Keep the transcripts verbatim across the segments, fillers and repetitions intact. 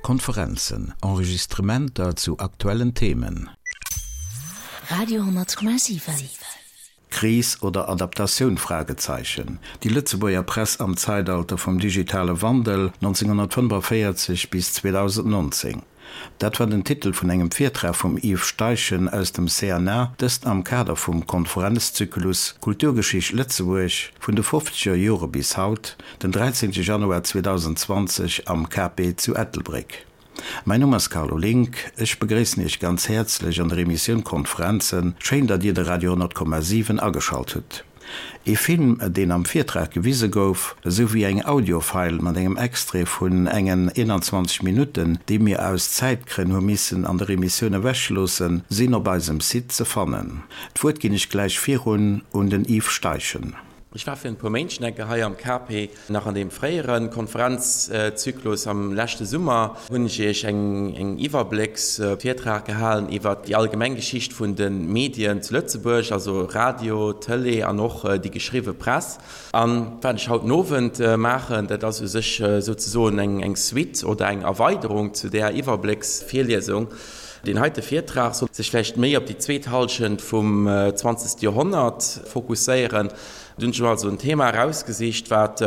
Konferenzen, Enregistrementer zu aktuellen Themen. Radio hundertkomma siwen. Kris oder Adaptatioun Fragezeichen. Déi Lëtzebuerger Press am Zäitalter vum digitale Wandel neunzehnhundertfünfundvierzig bis zweitausendneunzehn. Dat war den Titel vun engem Virtrag vum Yves Steichen aus dem C N A, dëst am Kader vum Konferenzzyklus Kulturgeschicht Lëtzebuerg vun de fofzeger Jore bis haut, den dräizehnte Januar zweitausendzwanzeg am K P zu Ettelbréck. Mäin Numm ass Carlo Link, ech begréissen Iech ganz häerzlech an der Emissioun Konferenzen, schéin, datt Dir de Radio honnert Komma siwen ageschalt hutt. E Film, deen am Virtrag gewise gouf, esou wéi eng Audiofile mat engem Extrait vun engen eenanzwanzeg Minutten, déi mir aus Zäitgrënn hu missen an der Emissioun ewechloossen, sinn op eisem Site ze fannen. D'Wuert ginn ech gläich virun un den Yves Steichen. Ech war virun e puer Méint schonn eng Kéier hei am K P, nach an deem fréiere Konferenzzyklus am leschte Summer hunn ech Iech eng eng Iwwerblécksvirtrag gehalen iwwert déi allgemeng Geschicht vun de Medien zu Lëtzebuerg, also Radio, Tëlee an och déi geschriwwe Press. An wat ech haut den Owend maachen, dat ass u sech souzesoen eng eng Suite oder eng Erweiderung zu där Iwwerblécksvirliesung. Deen heite Virtrag soll sech vläicht méi op déi zweet Hallschent vum zwanzegste Joerhonnert fokusséieren. Do hunn ech mer also en Thema erausgesicht, wat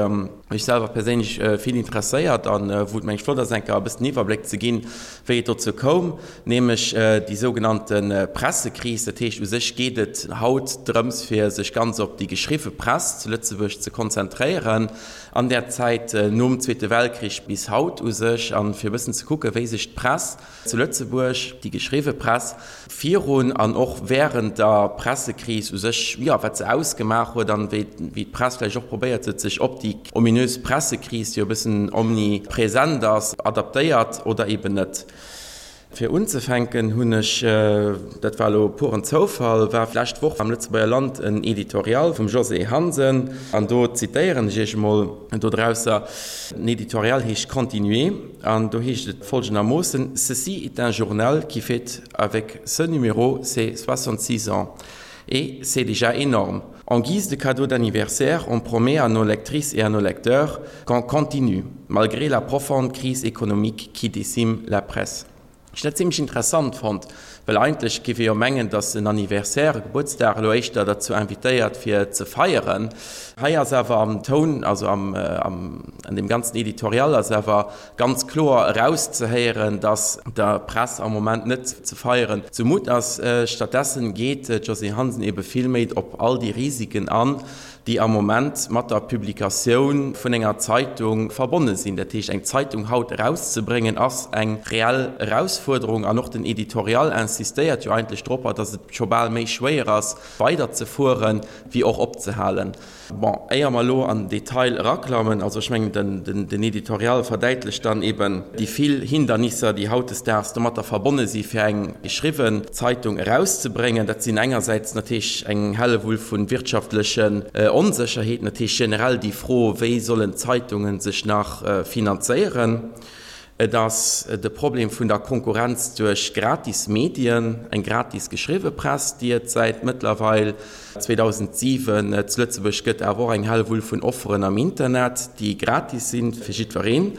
mech selwer perséinlech vill interesséiert a wou et mengen ech flott ass, eng Kéier e bëssen Iwwerbléck ze ginn, wéi et dozou koum, nämlech déi sougenannte Pressekris. Dat heescht, u sech geet et haut drëms, fir sech ganz op déi geschriwwe Press zu Lëtzebuerg ze konzentréieren an där Zäit nom Zweete Weltkrich bis haut u sech, a fir e bëssen ze kucken, wéi sech d'Press zu Lëtzebuerg, déi geschriwwe Press, virun an och während der Pressekris u sech, jo, wat se ausgemaach huet an wéi wéi d'Press vläicht och probéiert huet, sech op déi ominös Pressekris, déi jo e bëssen omnipresent ass, adaptéiert oder eben net. Fir unzefänken hunn ech, dat war elo puren Zoufall, war d'lescht Woch am Lëtzebuerger Land en Editorial vum Josée Hansen an do zitéieren ech iech emol dodrausser. Den Editorial heescht Continuer an do heescht et folgendermoossen, Ceci est un journal qui fête avec ce numéro ses soixante-six ans. Et c'est déjà énorme. En guise de cadeau d'anniversaire, on promet à nos lectrices et à nos lecteurs qu'on continue, malgré la profonde crise économique qui décime la presse. Ech hunn dat zimlech interessant fonnt, well eigentlech géif ee jo mengen, datt en Anniversaire, e Gebuertsdag elo éischter derzou invitéiert fir ze feieren. Hei ass awer am Toun, also am, am, an deem ganzen Editorial ass awer ganz kloer erauszehéieren, datt der Press am Moment net ze feieren zumutt ass. Stattdessen geet d'Josée Hansen ebe vill méi op all déi Risiken an, déi am Moment mat der Publikatioun vun enger Zeitung verbonne sinn. Dat heescht, eng Zeitung haut erauszebréngen, ass eng reell Erausfuerderung. An och den Editorial insistéiert jo eigentlech dropper, datt et scho bal méi schwéier ass, weiderzefueren, wéi och opzehalen. Bon, éier mer elo an den Detail eraklammen, also ech mengen, den, den Editorial verdäitlecht dann eben déi vill Hindernisser, déi hautdesdaags domatter verbonne si fir eng geschriwwen Zeitung erauszebréngen. Dat sinn engersäits natierlech eng Hellewull vu wirtschaftlechen Onsécherheeten, dat heescht generell déi Fro, wéi sollen d'Zeitunge sech nach finanzéieren. Et ass de Problem vun der Konkurrenz duerch gratis Medien, eng gratis geschriwwe Press, déi et säit mëttlerweil zweedausentsiwen zu Lëtzebuerg gëtt, awer och eng Hellewull vun Offeren am Internet, déi gratis sinn fir jiddwereen.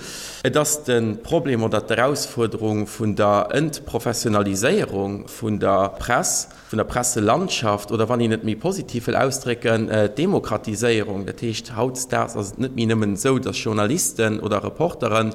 Et ass de Problem oder d'Erausfuerderung vun der Entprofessionaliséierung vun der Press, vun der Presselandschaft oder, wann een et méi positiv wëll ausdrécken, d'Demokratiséierung. Dat heescht, hautdesdaags ass et net méi nëmmen esou, datt Journalisten oder Reportere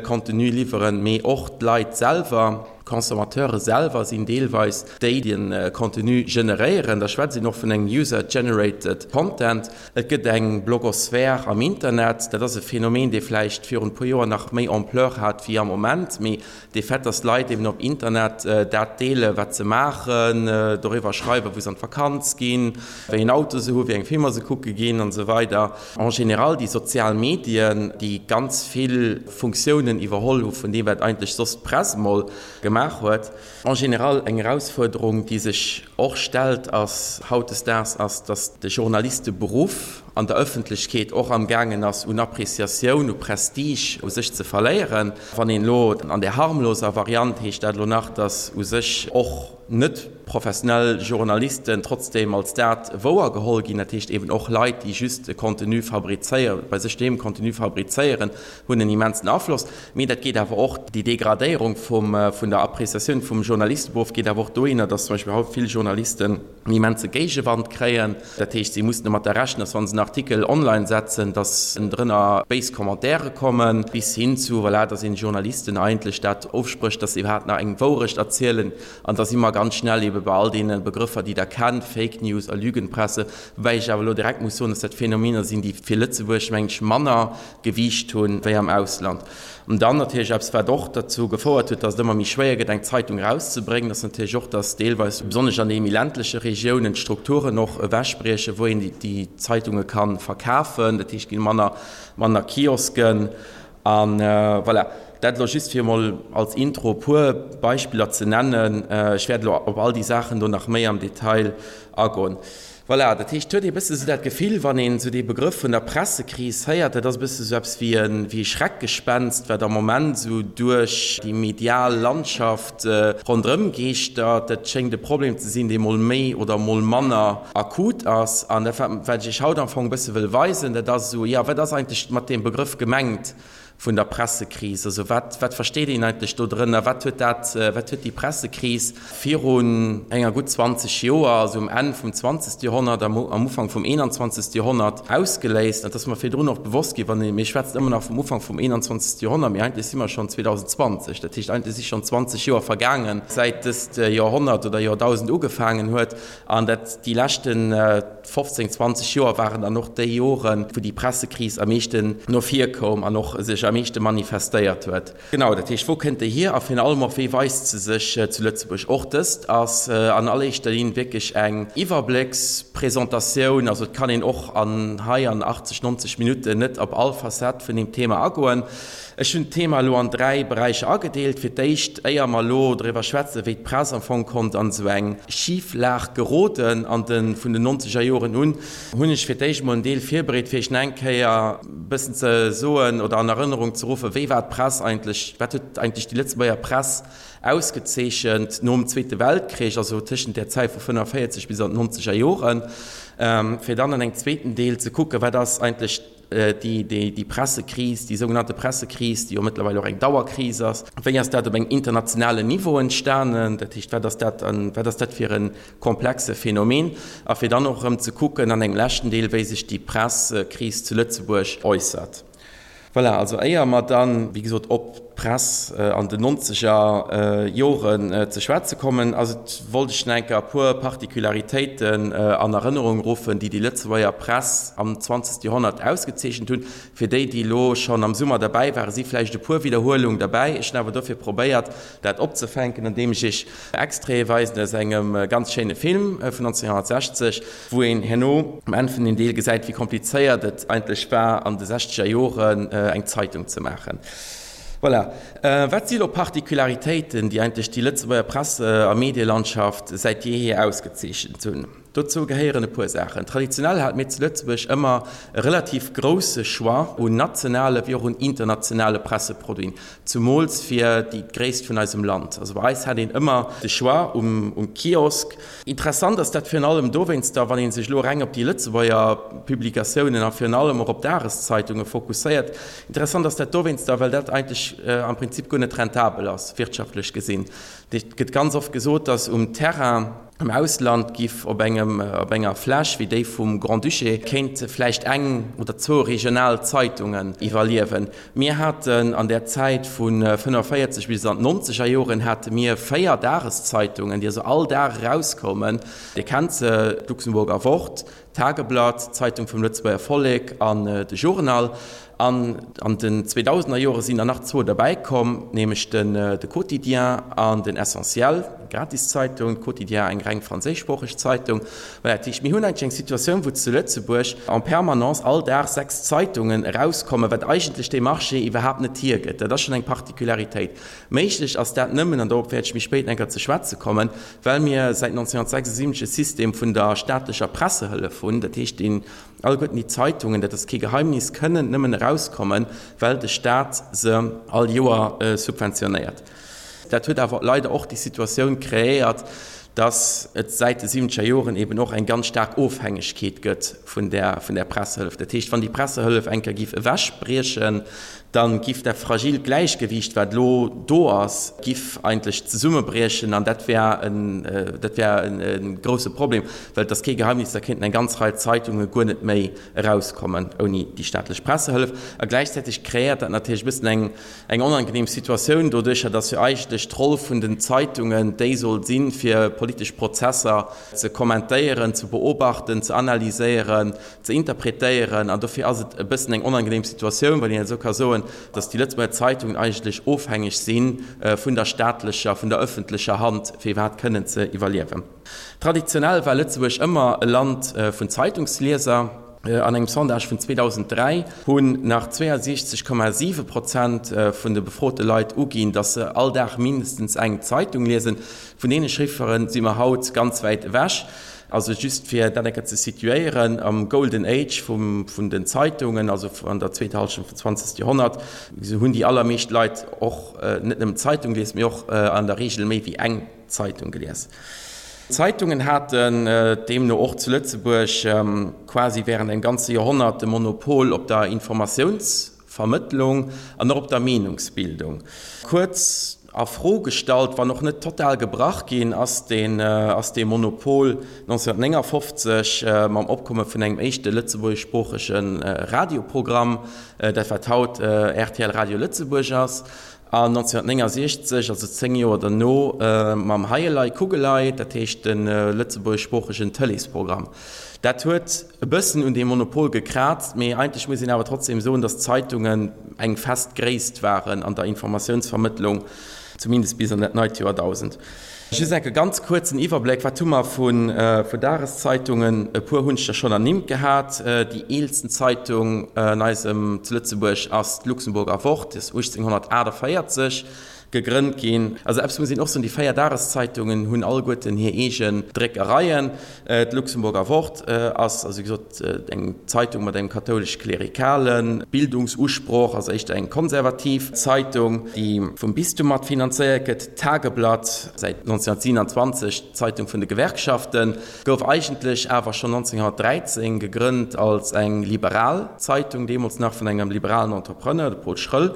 Contenu liwweren, mee och d'Leit selwer, d'Consommateure selwer sinn deelweis déi, déi de Contenu generéieren. Da schwätzt een och vun engem User-generated Content. Et gëtt eng Blogosphär am Internet. Dat ass e Phänomen, dee vläicht virun e puer Joer nach méi Ampleur hat wéi am Moment, mee de Fait, dass d'Leit eben op Internet dat deelen, wat se maachen, doriwwer schreiwen, wou se an d'Vakanz ginn, wéi een Auto se hu, wéi eng Filmer se kucke ginn an esou weider. En général déi sozial Medien, déi ganz vill Funktiounen iwwerholl hu vun deem, wat eigentlech soss d'Press emol gemaach huet. En général eng Erausfuerderung, déi sech och stellt ass hautdesdaags ass, dass de Journalisteberuff an der Ëffentlechkeet och am gaangen ass un Appréciatioun, u Prestige u sech ze verléieren. Wann een elo an där harmloser Variant heescht dat elo nach, dass u sech och net professionell Journalisten trotzdem als dat wouer geholl ginn, dat heescht eben och Leit, déi just e Contenu fabrizéieren, bei sech doheem Contenu fabrizéieren, hunn en immensen Afloss. Mee dat geet awer och, déi Degradéierung vum, vun der Appréciatioun vum Journalisteberuff geet awer och dohinner, dass zum Beispill haut vill Journalisten en immense Géigewand kréien. Dat heescht, si mussen domatter rechnen, dass wa se en Artikel online setzen, dass ënnendrënner béis Commentaire kommen, bis hin zu, voilà, dass een Journalisten eigentlech dat ofsprécht, dass se iwwerhaapt nach eng Wourecht erzielen. An da si mer ganz schnell ebe bei all deene Begrëffer, déi Der kennt, Fake News a Lügenpresse, woubäi ech awer elo direkt muss soen, dass dat Phänomener sinn, déi fir Lëtzebuerg, mengen ech, manner Gewiicht hunn wéi am Ausland. An dann natierlech eppes, wat och derzou gefouert huet, dass et ëmmer méi schwéier gëtt, eng Zeitung erauszebréngen, ass natierlech och, dass deelweis, besonnesch an deene méi ländleche Regiounen, d'Strukturen och ewechbriechen, wou een déi Zeitunge ka verkafen. Dat heescht, et gi manner, manner Kiosken. A voilà, dat elo just fir emol als Intro e puer Beispiller ze nennen. Ech wäert elo op all déi Saachen do nach méi am Detail agoen. Voilà, dat heescht, et huet ee bësse sou dat Gefill, wann een esou dee Begrëff vun der Pressekris héiert, dat ass e bësse sou eppes wéi e wéi e Schreckgespenst, wat am Moment esou duerch déi medial Landschaft ronderëm geeschtert. Dat schéngt e Problem ze sinn, dee mol méi oder mol manner akut ass. An dat, wat ech Iech haut am Fong e bësse wëll weisen, dat ass esou, jo, wat ass eigentlech mat deem Begrëff gemengt? Vun der Pressekris. Also wat, wat versteet een eigentlech do drënner? Wat huet dat, wat huet déi Pressekris virun enger gutt zwanzeg Joer, also um Enn vum zwanzegste Joerhonnert, am, am Ufank vum eenanzwanzegste Joerhonnert ausgeléist? Dat ass mer virdrun och bewosst ginn, wann ee, mir schwätzen ëmmer nach vum Ufank vum eenanzwanzegste Joerhonnert, mee eigentlech si mer schonn zweedausendzwanzeg. Dat heescht, eigentlech si schonn zwanzeg Joer vergaangen, säit dëst Joerhonnert oder Joerdausend ugefaangen huet. An dat, déi leschten fofzéng, zwanzeg Joer waren dann och déi Joren, wou déi Pressekris am meeschten no vir koum an och sech am meeschte manifestéiert huet. Genau, dat heescht, wou kënnt déi hier a virun allem och, wéi weist se sech zu Lëtzebuerg? Och dëst ass an alleréischter Linn wierklech eng Iwwerbléckspresentatioun. Also et kann een och an hei an achtzeg, nonzeg Minutten net op all Facette vun deem Thema agoen. Ech hunn d'Thema elo an dräi Beräicher agedeelt. Fir d'éischt, éier mer elo driwwer schwätzen, wéi d'Press am Fong konnt an esou eng Schiflag geroden an de vun den nonzeger Joren un, hunn ech fir d'éischt emol en Deel virbereet, fir Iech nach eng Kéier e bëssen ze soen oder an Erënnerung ze ruffen, wéi war d'Press eigentlech, wat huet eigentlech déi Lëtzebuerger Press ausgezeechent nom Zweete Weltkrich, also tëschent där Zäit vu fënnefenvéierzeg bis an d'nonzeger Joren, fir dann an engem zweeten Deel ze kucken, wat ass eigentlech déi Pressekris, déi sougenannte Pressekris, déi jo mëttlerweil och eng Dauerkris ass, wéi ass dat op engem internationalen Niveau entstanen, dat heescht, wat ass dat, wat ass dat fir e komplexe Phänomen, a fir dann och erëm ze kucken an engem leschten Deel, wéi sech déi Pressekris zu Lëtzebuerg äussert. Voilà, also éier mer dann, wéi gesot, op d'Press an den nonzeger Joren ze schwätze kommen, ass et, wollt ech nach eng Kéier e puer Particularitéiten an Erënnerung ruffen, déi déi Lëtzebuerger Press am zwanzegste Joerhonnert ausgezeechent hunn. Fir déi, déi elo schonn am Summer derbäi waren, si vläicht e puer Widderhuelung derbäi. Ech hunn awer dofir probéiert, dat opzefänken, andeem ech Iech Extraite weisen aus engem ganz schéine Film vun nonzénhonnertsechzeg, wou een herno um Enn vun dem Deel gesäit, wéi komplizéiert et eigentlech war, an de sechzeger Joren eng Zeitung ze maachen. Voilà. Wat si elo Particularitéiten, déi eigentlech déi Lëtzebuerger Presse a Medielandschaft säit jeehier ausgezeechent hunn? Dozou gehéieren e puer Saachen. Traditionell hate mir zu Lëtzebuerg ëmmer e relativ grousse Choix un nationale wéi och un internationale Presseproduiten, zumools fir déi d'Gréisst vun eisem Land. Also bei eis hat een ëmmer de Choix um Kiosk. Interessant ass dat virun allem dowéinster, wann ee sech elo reng op déi Lëtzebuerger Publikatiounen a virun allem och op Dageszeitunge fokusséiert. Interessant ass dat dowéinster, well dat eigentlech am Prinzip guer net rentabel ass, wirtschaftlech gesinn. Et gëtt ganz oft gesot, datt um Terrain am Ausland giff op engem, op enger Fläch wéi déi vum Grand-Duché kéinte vläicht eng oder zwou regional Zeitungen iwwerliewen. Mir haten an där Zäit vu fënnefenvéierzeg bis an d'nonzeger Joren hate mir véier Dageszeitungen, déi also all Dag erauskoumen. Dir kennt se, d'Luxemburger Wort, Tageblatt, d'Zeitung vum Lëtzebuerger Vollek an de Journal. An an den zweedausender Jore sinn der nach zwou derbäi komm, nämlech den de Quotidien an den Essentiel, eng Gratiszeitung, Quotidien eng reng franséischsproocheg Zeitung. Voilà, dat heescht, mir hunn eigentlech eng Situatioun, wou zu Lëtzebuerg en permanence all Dag sechs Zeitungen erauskommen, wat eigentlech dee Marché iwwerhaapt net hiergëtt. Dat ass schonn eng Particularitéit. Méiglech ass dat nëmmen, an dorop wäert ech méi spéit eng Kéier ze schwätze kommen, well mir säit neunzehnhundertsechsundsiebzeg e System vun der staatlecher Pressehëllef hunn, dat heescht, deen Alleguerten déi Zeitungen, dat ass kee Geheimnis, kënnen nëmmen erauskommen, well de Staat se all Joer subventionéiert. Dat huet awer leider och déi Situatioun kreéiert, dass et säit de siwwenzeger Joren eben och eng ganz staark Ofhängegkeet gëtt vun där, vun där Pressehëllef. Dat heescht, wann déi Pressehëllef eng Kéier giff ewechbriechen, da giff dat fragilt Gläichgewiicht, wat elo do ass, giff eigentlech zesummebriechen an dat wär en, dat wär e grouse Problem, well et ass kee Geheimnis, da kéinten eng ganz Rei Zeitunge guer net méi erauskommen ouni déi staatlech Pressehëllef. A gläichzäiteg kreéiert dat natierlech e bëssen eng, eng onangenehm Situatioun doduercher, datt jo eigentlech d'Roll vun den Zeitungen déi soll sinn, fir politesch Prozesser ze kommentéieren, ze beobachten, ze analyséieren, ze interpretéieren an dofir ass et e bëssen eng onangenehm Situatioun, wann een esou ka soen, datt déi Lëtzebuerger Zeitungen eigentlech ofhängeg si vun der staatlecher, vun der öffentlecher Hand, fir iwwerhaapt kënnen ze iwwerliewen. Traditionell war Lëtzebuerg ëmmer e Land vun Zeitungslieser. An engem Sondage vun zweedausenddräi hunn nach zweeënsiechzeg Komma siwe Prozent vun de befrote Leit uginn, datt se all Dag mindestens eng Zeitung liesen. Vun deene Chiffere si mer haut ganz wäit ewech. Also just fir dat eng Kéier ze situéieren, am Golden Age vum, vun den Zeitungen, also an der zweeter Hallschent vum zwanzegste Joerhonnert, hunn déi allermeescht Leit och net nëmmen d'Zeitung gelies, mee och an der Reegel méi wéi eng Zeitung gelies. D'Zeitungen haten deemno och zu Lëtzebuerg quasi während engem ganze Joerhonnert de Monopol op der Informatiounsvermëttlung an och op der Meenungsbildung. Kuerz a Fro gestallt, wann och net total gebrach ginn, ass deen ass dee Monopol neunzehnhundertneunundfünfzig mam Opkomme vun engem éischte lëtzebuergeschsproochege Radioprogramm, dat wat haut R T L Radio Lëtzebuerg ass, an neunzehnhundertneunundsechzig, also zéng Joer derno, mam Heielei Kugelei, dat heescht de lëtzebuergeschsproochegen Tëleesprogramm. Dat huet e bëssen un deem Monopol gekraazt, mee eigentlech muss een awer trotzdem soen, datt d'Zeitungen eng fest Gréisst waren an der Informatiounsvermëttlung, zumindest bis an dat neit Joerdausend. Just enke ganz kuerzen Iwwerbléck, Wat hu mer vun Dageszeitungen? E puer hunn ech der schonn ernimmt gehat. Déi eelsten Zeitung an eisem, zu Lëtzebuerg ass d'Luxemburger Wort, déi ass uechtzénghunnertaachtavéierzeg gegrënnt ginn. Also eppes muss een och soen, déi véier Dageszeitungen hunn alleguerten hir eegen Dréckereien. D'Luxemburger Wort ass, also wéi gesot, eng Zeitung mat engem kathoulesch-klerikale Bildungsusproch, also éischter eng konservativ Zeitung, déi vum Bistum mat finanzéiert gëtt. D'Tageblatt, säit neunzehnhundertsiebenundzwanzeg d'Zeitung vun de Gewerkschaften, gouf eigentlech awer schonn neunzehnhundertdräizéng gegrënnt als eng liberal Zeitung, deemools nach vun engem liberalen Entrepreneur, de Paul Schröll.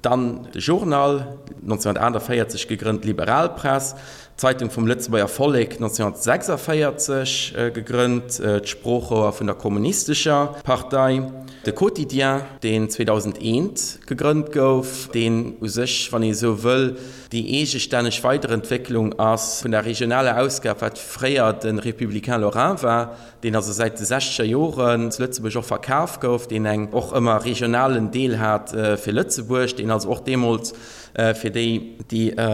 Dann de Journal, neunzehnhundertaachtavéierzeg gegrënnt, liberal Press, d'Zeitung vum Lëtzebuerger Vollek, neunzehnhundertsechsundvéierzeg gegrënnt, d'Sproochrouer vun der Kommunistescher Partei, de Quotidien, deen zweedausendeent gegrënnt gouf, deen u sech, wann ee sou wëll, déi eegestänneg Weiderentwécklung ass vun der regionaler Ausgab, wat fréier de Républicain Lorrain war, deen also säit de sechzeger Joren zu Lëtzebuerg och verkaf gouf, deen eng och ëmmer regionalen Deel hat fir Lëtzebuerg, deen also och deemools, fir déi, déi e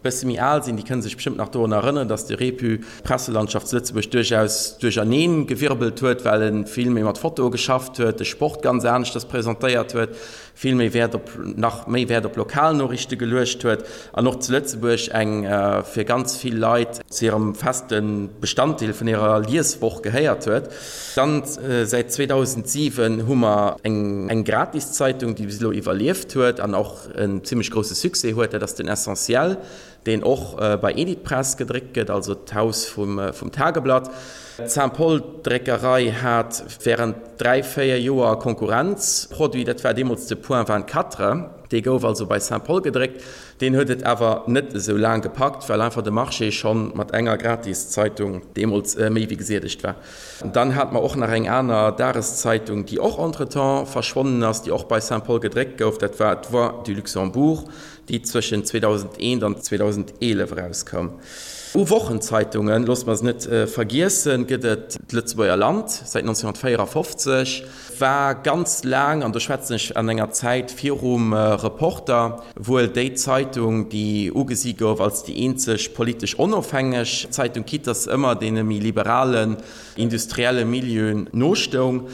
bësse méi al sinn, déi kënne sech bestëmmt nach dorun erënneren, datt de Répu d'Presselandschaft zu Lëtzebuerg duerchaus duercherneen gewirbelt huet, well e vill méi mat Fotoe geschafft huet, de Sport ganz aneschters presentéiert huet, vill méi Wäert op, nach méi Wäert op Lokalnoriichte geluecht huet an och zu Lëtzebuerg eng fir ganz vill Leit zu hirem feste Bestanddeel vun hirer Lieswoch gehéiert huet. Dann säit zweedausentsiwen hu mer eng eng Gratiszeitung, déi bis elo iwwerlieft huet an och en zimmlech grousse Succès huet, dat ass den Essentiel. deen och bei Editpress gedréckt gëtt, also d'Haus vum Tageblatt. D'Saint-Paul-Dréckerei hat wärend dräi, véier Joer Konkurrenzproduit, dat war deemools de Point vingt-quatre. Dee gouf also bei Saint-Paul gedréckt. Deen huet et awer net esou laang gepackt, well einfach de Marché scho mat enger Gratiszeitung deemools méi wéi gesiedegt war. Dann hate mer och nach eng aner Dageszeitung, déi och entretemps verschwonnen ass, déi och bei Saint-Paul gedréckt gouf, dat war d'Voix du Luxembourg. déi zwëschen zweedausendeent an zweedausendeelef erauskoum. U Wochenzeitungen, loosse mer se net vergiessen, gëtt et d'Lëtzebuerger Land säit nonzénhunnertvéierafofzeg, war ganz laang, an do schwätzen ech an enger Zäit virum Reporter, wuel déi Zeitung, déi ugesi gouf als déi eenzeg politesch onofhängeg Zeitung, quitte dass se ëmmer deene méi liberalen industrielle Milieuen nostoung.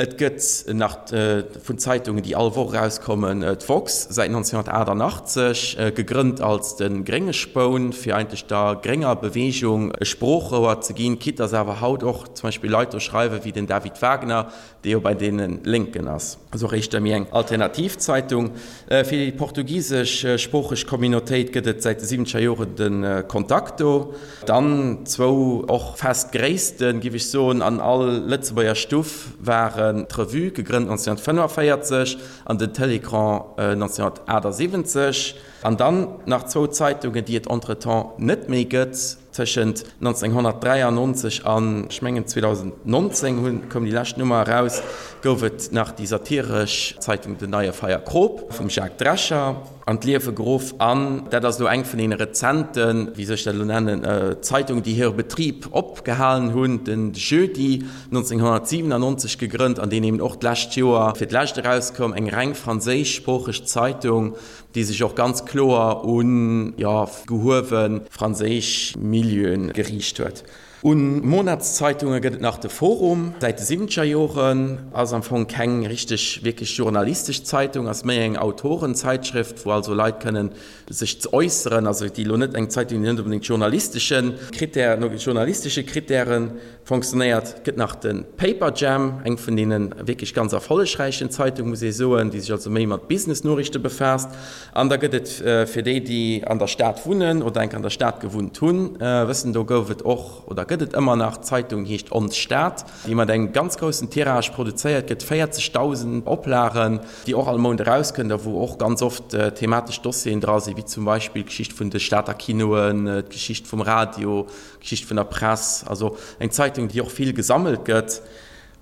Et gëtt nach vun Zeitungen, déi all Woch erauskommen, d'woxx, säit nonzénhunnertaachternachtzeg, gegrënnt als de Grénge Spoun, fir eigentlech der grénger Beweegung e Sproochrouer ze ginn, quitte dass awer haut och zum Beispill Leit do schreiwen, wéi den David Wagner, dee jo bei deene Lénken ass. Also och éischter méi eng alternativ Zeitung. Fir déi portugiseschsproocheg Communautéit gëtt et säit de siwwenzeger Joren de Contacto. Dann zwou och fest Gréissten, giff ech soen, an all Lëtzebuerger Stuff waren d'Revue, gegrënnt nonzénhunnertfënnefenvéierzeg, an den Télécran nonzénhunnertaachtsiwwenzeg. An dann nach zwou Zeitungen, déi et entretemps net méi gëtt. Tëschent nonzénhunnertdräiannonzeg an, ech mengen, zweedausendnonzéng hunn, koum déi lescht Nummer eraus, gouf et nach déi satiresch Zeitung Den Neie Feierkrop vum Jacques Drescher an d'Liewe geruff. An dat ass elo eng vun deene rezenten, wéi soll ech dat elo nennen, Zeitungen, déi hire Betrib opgehalen hunn, den Jeudi, nonzénhunnertsiwenannonzeg gegrënnt an deen eben och d'lescht Joer fir d'lescht erauskoum, eng reng franséischsproocheg Zeitung, déi sech och ganz kloer un, jo, gehuewe franséisch Milieue geriicht huet. Un Monatszeitungen gëtt et nach de Forum, säit de siwwenzeger Joren, ass am Fong keng richteg wierklech journalistesch Zeitung, ass méi eng Autorenzeitschrift, wou also Leit kënnen sech z'äusseren, also déi elo net eng Zeitung, déi net onbedéngt journalistesche Critère, no journalistesche Krittäre fonctionnéiert. Et gëtt nach de Paperjam, eng vun deene wierklech ganz erfollegräichen Zeitungen, muss ee soen, déi sech also méi mat Business-Noriichte befaasst. An da gëtt et fir déi, déi an der Stad wunnen oder enk an der Stad gewunnt hunn, wëssen, do gouf et och oder gëtt et ëmmer nach d'Zeitung, déi heescht Ons Stad, déi mat engem ganz groussen Tirage produzéiert gëtt, véierzegdausend Oplagen, déi och all Mount erauskënnt a wou och ganz oft thematesch Dossieren dra sinn, wéi zum Beispill d'Geschicht vun de Stater Kinoen, d'Geschicht vum Radio, Geschicht vun der Press, also eng Zeitung, déi och vill gesammelt gëtt.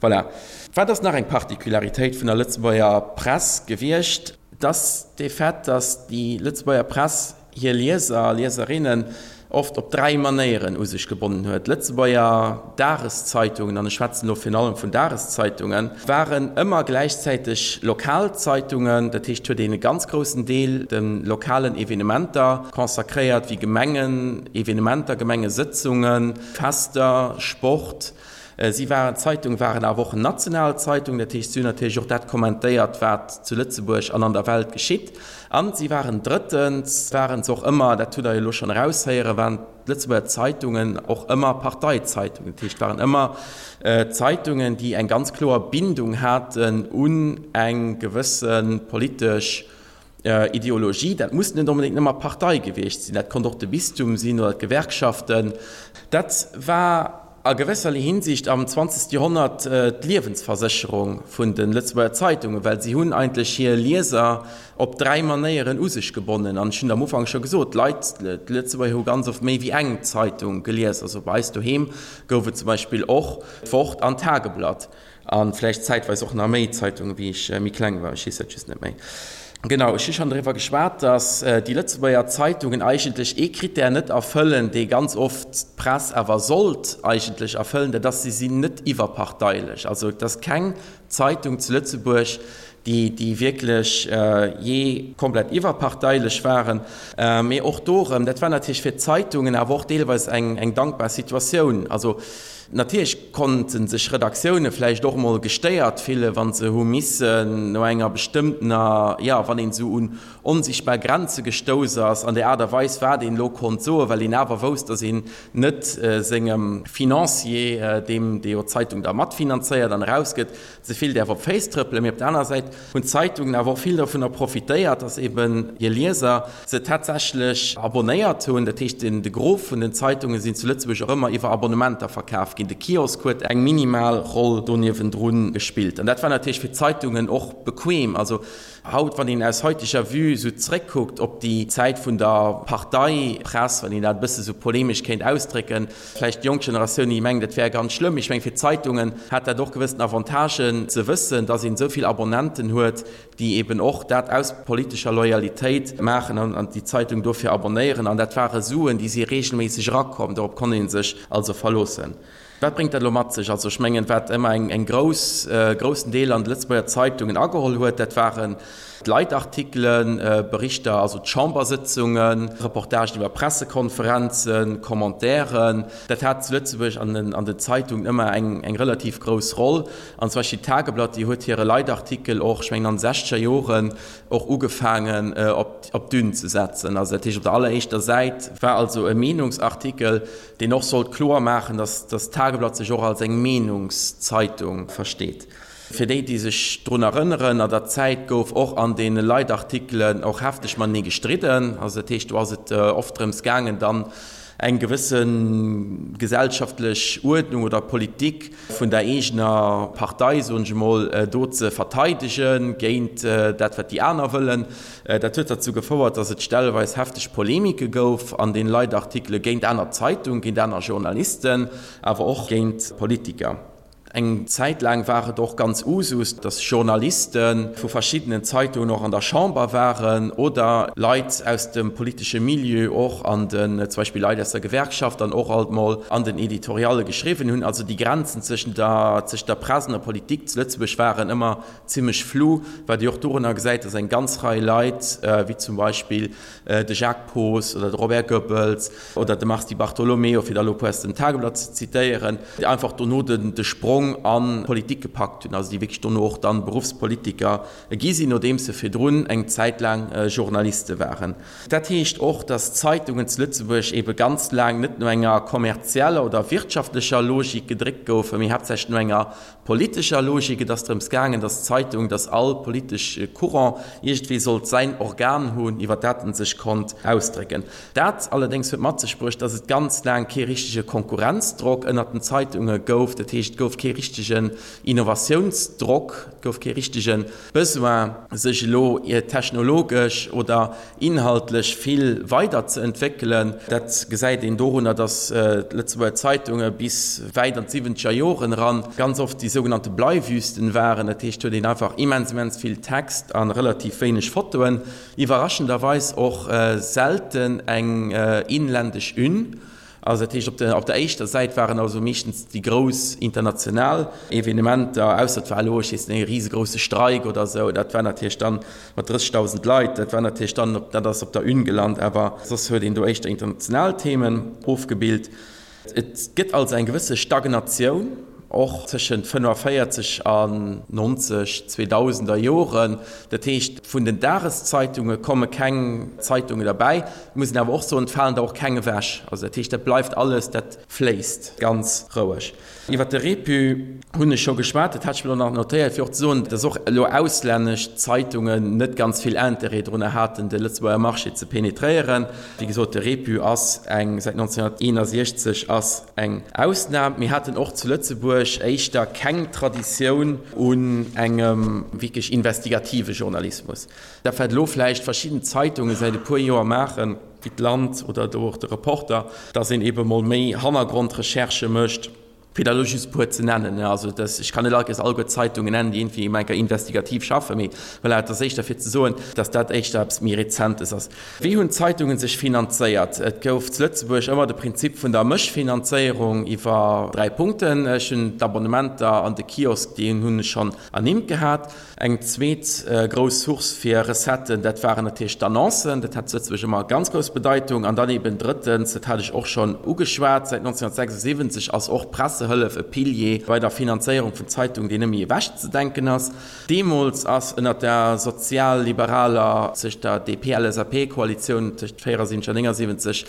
Voilà. Wat ass nach eng Particularitéit vun der Lëtzebuerger Press gewiescht? Et ass de Fait, datt déi Lëtzebuerger Press hir Lieser a Lieserinnen oft op dräi Manéieren u sech gebonnen huet. D'Lëtzebuerger Dageszeitungen, an ech schwätzen elo virun allem vun Dageszeitungen, waren ëmmer gläichzäiteg Lokalzeitungen, dat heescht, huet een e ganz groussen Deel de lokalen Evenementer consacréiert, wéi Gemengenevenementer, Gemengesëtzungen, Fester, Sport. Si waren, d'Zeitung waren awer och national Zeitung, dat heescht, si hunn natierlech och dat kommentéiert, wat zu Lëtzebuerg an an der Welt geschitt. An si waren drëttens, waren se och ëmmer, dat hutt Der jo elo schonn eraushéieren, waren d'Lëtzebuerger Zeitungen och ëmmer Parteizeitungen. Dat heescht, waren ëmmer Zeitungen, déi eng ganz kloer Bindung haten un eng gewësse politesch Ideologie. Dat muss net onbedéngt ëmmer d'Partei gewiescht sinn, dat konnt och de Bistum sinn oder d'Gewerkschaften. Dat war a gewësserlee Hinsicht am zwanzegste Joerhonnert d'Liewensversécherung vun de Lëtzebuerger Zeitungen, well si hunn eigentlech hir Lieser op dräi Manéieren u sech gebonnen. An ech hunn et am Ufank scho gesot, d'Leit, d'Lëtzebuerger hu ganz oft méi wéi eng Zeitung gelies. Also bei eis doheem gouf et zum Beispill och d'Wort an d'Tageblatt. A vläicht zäitweis och nach méi Zeitungen, wéi ech méi kleng war, ech weess dat just net méi. Genau, ech hu schonn driwwer geschwat, datt déi Lëtzebuerger Zeitungen eigentlech ee Krittär net erfëllen, dee ganz oft d'Press awer sollt eigentlech erfëllen, dat ass, si sinn net iwwerparteilech. Also et ass keng Zeitung zu Lëtzebuerg, déi, déi wierklech jee komplett iwwerparteilech waren. Mee och do erëm, dat war natierlech fir d'Zeitungen awer och deelweis eng, eng dankbar Situatioun. Also Natierlech konnte sech Redaktioune vläicht och emol gestéiert fillen, wa se hu missen no enger bestëmmtener, jo, wann een esou un onsichtbar Grenze gestouss ass an der Aart a Weis, wat een elo konnt soen, well een awer wousst, datt een net sengem Financier, deem, dee jo d'Zeitung da matfinanzéiert an erausgëtt, ze vill däerf op d'Féiss trëppelen. Mee op der anerer Säit hunn d'Zeitungen awer och vill dovunner profitéiert, datt eben hir Lieser se tatsächlech abonnéiert hunn. Dat heescht, de Gros vun den Zeitunge sinn zu Lëtzebuerg och ëmmer iwwer Abonnementer verkaf ginn. De Kiosk huet eng minimal Roll do niewendrun gespillt. An dat war natierlech fir d'Zeitungen och bequem. Also haut, wann een aus heuteger Vue esou zréckkuckt op déi Zäit vun der Parteipress, wann een dat e bësse sou polemesch kéint ausdrécken, vläicht déi jonk Generatioun, déi mengt, dat wär ganz schlëmm. Ech mengen, fir d'Zeitungen hat dat och gewëssen Avantagen, ze wëssen, dass een esou vill Abonnenten huet, déi eben och dat aus politescher Loyalitéit maachen an déi Zeitung dofir abonnéieren. An dat ware Suen, déi si regelméisseg erakomm. Dorop konnt ee sech also verloossen. Wat bréngt dat elo mat sech? Also ech mengen, wat ëmmer eng, eng grouss, groussen Deel an de Lëtzebuerger Zeitungen ageholl huet, dat waren d'Leitartikelen, Berichter, also d'Chambersëtzungen, Reportagen iwwer Pressekonferenzen, Commentairen. Dat hat zu Lëtzebuerg an den, an den Zeitungen ëmmer eng, eng relativ grouss Roll. An zum Beispill d'Tageblatt, déi huet hire Leitartikel och, ech mengen an de sechzeger Joren, och ugefaangen op, op d'Une ze setzen. Also dat heescht, op der alleréischter Säit war also e Meenungsartikel, deen och sollt kloer maachen, datt dat Tageblatt sech och als eng Meenungszeitung versteet. Fir déi, déi sech drun erënneren, an der Zäit gouf och an deene Leitartikelen och hefteg matenee gestridden. Also dat heescht, do ass et oft drëms gaangen, dann eng gewësse gesellschaftlech Uerdnung oder Politik vun der eegener Partei, soen ech emol, do ze verteidegen géint dat, wat déi aner wëllen. Dat huet derzou gefouert, datt et stelleweis hefteg Polemike gouf an den Leitartikele géint aner Zeitungen, géint aner Journalisten, awer och géint Politiker. Eng Zäit laang war et och ganz Usus, datt Journaliste vu verschiddenen Zeitungen och an der Chamber waren oder Leit aus dem politesche Milieu och an den, zum Beispill Leit aus der Gewerkschaft dann och alt mol an den Editorialle geschriwwen hunn. Also déi Grenzen zwëschen der, zwëschen der Press an der Politik zu Lëtzebuerg waren ëmmer zimmlech flou, wat ee och dorunner gesäit, datt eng ganz Rei Leit, wéi zum Beispill de Jacques Poos oder de Robert Goebbels oder de Mars Di Bartolomeo, fir der elo e puer aus dem Tageblatt ze zitéieren, déi einfach dono de Sprong an d'Politik gepackt hunn, also déi wierklech dono och dann Beruffspolitiker gi sinn, nodeems se virdrun eng Zäit laang Journaliste waren. Dat heescht och, datt d'Zeitungen zu Lëtzebuerg ebe ganz laang net no enger kommerzieller oder wirtschaftlecher Logik gedréckt goufen, mee haaptsächlech no enger politescher Logik. Et ass drëms gaangen, datt d'Zeitung, datt all politesch Courant iergendwéi sollt säin Organ hunn, iwwer dat en sech konnt ausdrécken. Dat allerdéngs huet mat sech bruecht, datt et ganz laang kee richtege Konkurrenzdrock ënnert den Zeitunge gouf. Dat heescht, et gouf kee richtegen Innovatiounsdrock, et gouf kee richtege Besoin, sech elo technologesch oder inhaltlech vill weiderzeentwéckelen. Dat gesäit een dorunner, datt d'Lëtzebuerger Zeitunge bis wäit an d'siwwenzeger Joren eran ganz oft déi sougenannte Bleiwüsten waren. Dat heescht, huet een einfach immens, immens vill Text a relativ wéineg Fotoen. Iwwerraschenderweis och selten eng inländesch Une. Also dat heescht, op der, op der éischter Säit waren also meeschtens déi grouss international Evenementer, ausser et war elo, ech weess net, e risegrousse Streik oder esou, dat war natierlech dann mat drëssegdausend Leit, dat war natierlech dann op, dat ass op der Une gelant, awer soss huet een do éischter international Themen ofgebilt. Et gëtt also eng gewësse Stagnatioun, och tëschent fënnefenvéierzeg an nonzeg, zweedausender Joren. Dat heescht, vun den Dageszeitunge komme keng Zeitunge derbäi. Et muss een awer och soen, et falen der och keng ewech. Also dat heescht, dat bleift alles, dat fléisst ganz roueg. Iwwert de Repu hunn ech scho geschwat. Dat hat ech mir elo nach notéiert, fir och ze soen, dass och elo auslännesch Zeitungen net ganz vill Interêt drunner haten, de Lëtzebuerger Marché ze penetréieren. Wéi gesot, de Repu ass eng, säit nonzénhunnerteenasechzeg ass eng Ausnam. Mir haten och zu Lëtzebuerg éischter keng Traditioun un engem wierklech investigative Journalismus. Dat wat elo vläicht verschidden Zeitunge säit e puer Joer maachen, wéi d'Land oder do och de Reporter, datt een eebe mol méi Hannergrondrecherchë mécht, fir der elo just e puer ze nennen. Also dass, ech kann net alleguer alleguer d'Zeitungen nennen, déi iergendwéi eng Kéier investigativ schaffen, mee voilà, et ass éischter fir ze soen, dass dat éischter eppes méi Rezentes ass. Wéi hunn d'Zeitungen sech finanzéiert? Et gouf zu Lëtzebuerg ëmmer de Prinzip vun der Mëschfinanzéierung iwwer dräi Punkten. Ech hunn d'Abonnementer an de Kiosk, déi hunn ech schonn ernimmt gehat. Eng zweet grouss Source fir Recetten, dat waren natierlech d'Annoncen. Dat hat zu Lëtzebuerg ëmmer ganz grouss Bedeitung. An dann eben drëttens, dat hat ech och schonn ugeschwat, säit nonzénhunnertsechsundsiwwenzeg ass och d'Pressehëllef e Pilier bei der Finanzéierung vun Zeitungen, deen net méi ewechzedenken ass. Deemools ass ënnert der sozialliberaler, tëscht der D P-L S A P-Koalitioun tëscht véierundsiwwenzeg an néngundsiwwenzeg,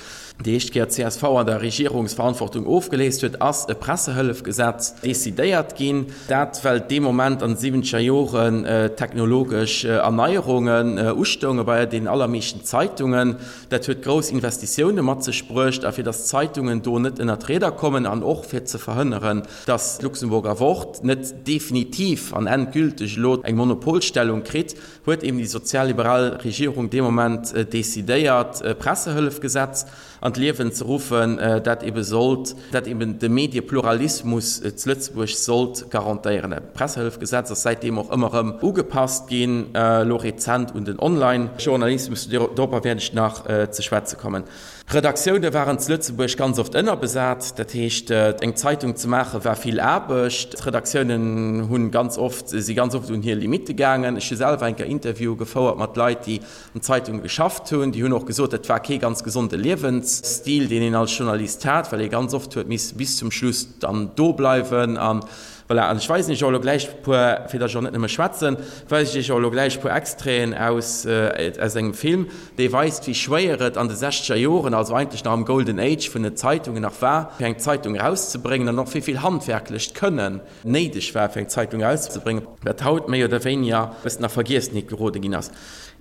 déi éischt Kéier d'C S V an der Regierungsverantwortung ofgeléist huet, ass e Pressehëllefgesetz decidéiert ginn. Dat well dee Moment an de siwwenzeger Joren technologesch Erneierungen ustounge bei deenen allermeeschten Zeitungen. Dat huet grouss Investitioune mat sech bruecht a fir datt d'Zeitungen do net ënner d'Rieder kommen an och fir ze verhënneren, verhënneren, dass d'Luxemburger Wort net definitiv an endgülteg elo eng Monopolstellung kritt, huet eben déi sozialliberal Regierung dee Moment decidéiert, e Pressehëllefgesetz an d'Liewen ze ruffen, dat ebe sollt, dat eben de Mediepluralismus zu Lëtzebuerg sollt garantéieren. Dat Pressehëllefgesetz ass säitdeem och ëmmer erëm ugepasst ginn, elo rezent un den Online-Journalismus, dorobber wäert ech nach ze schwätze kommen. Redaktioune waren zu Lëtzebuerg ganz oft ënnerbesat, dat heescht, eng Zeitung ze maache war vill Aarbecht. D'Redaktiounen hunn ganz oft, si ganz oft un hir Limitte gaangen. Ech hu selwer eng Kéier Interviewe gefouert mat Leit, déi an Zeitunge geschafft hunn. Déi hunn och gesot, dat war kee ganz gesonde Liewensstil, deen een als Journalist hat, well ee ganz oft huet misse bis zum Schluss dann do bleiwen an Voilà, an ech weisen iech och elo gläich e puer, fir datt ech och net nëmme schwätzen, weisen ech iech och elo gläich e puer Extraiten aus, aus engem Film, dee weist, wéi schwéier et an de sechzeger Joren, also eigentlech nach am Golden Age vun den Zeitungen nach war, fir eng Zeitung erauszebréngen an och wéi vill handwerklecht Kënnen néideg war, fir eng Zeitung erauszebréngen, wat haut méi oder wéiniger e bëssen a Vergiessenheet gerode ginn ass.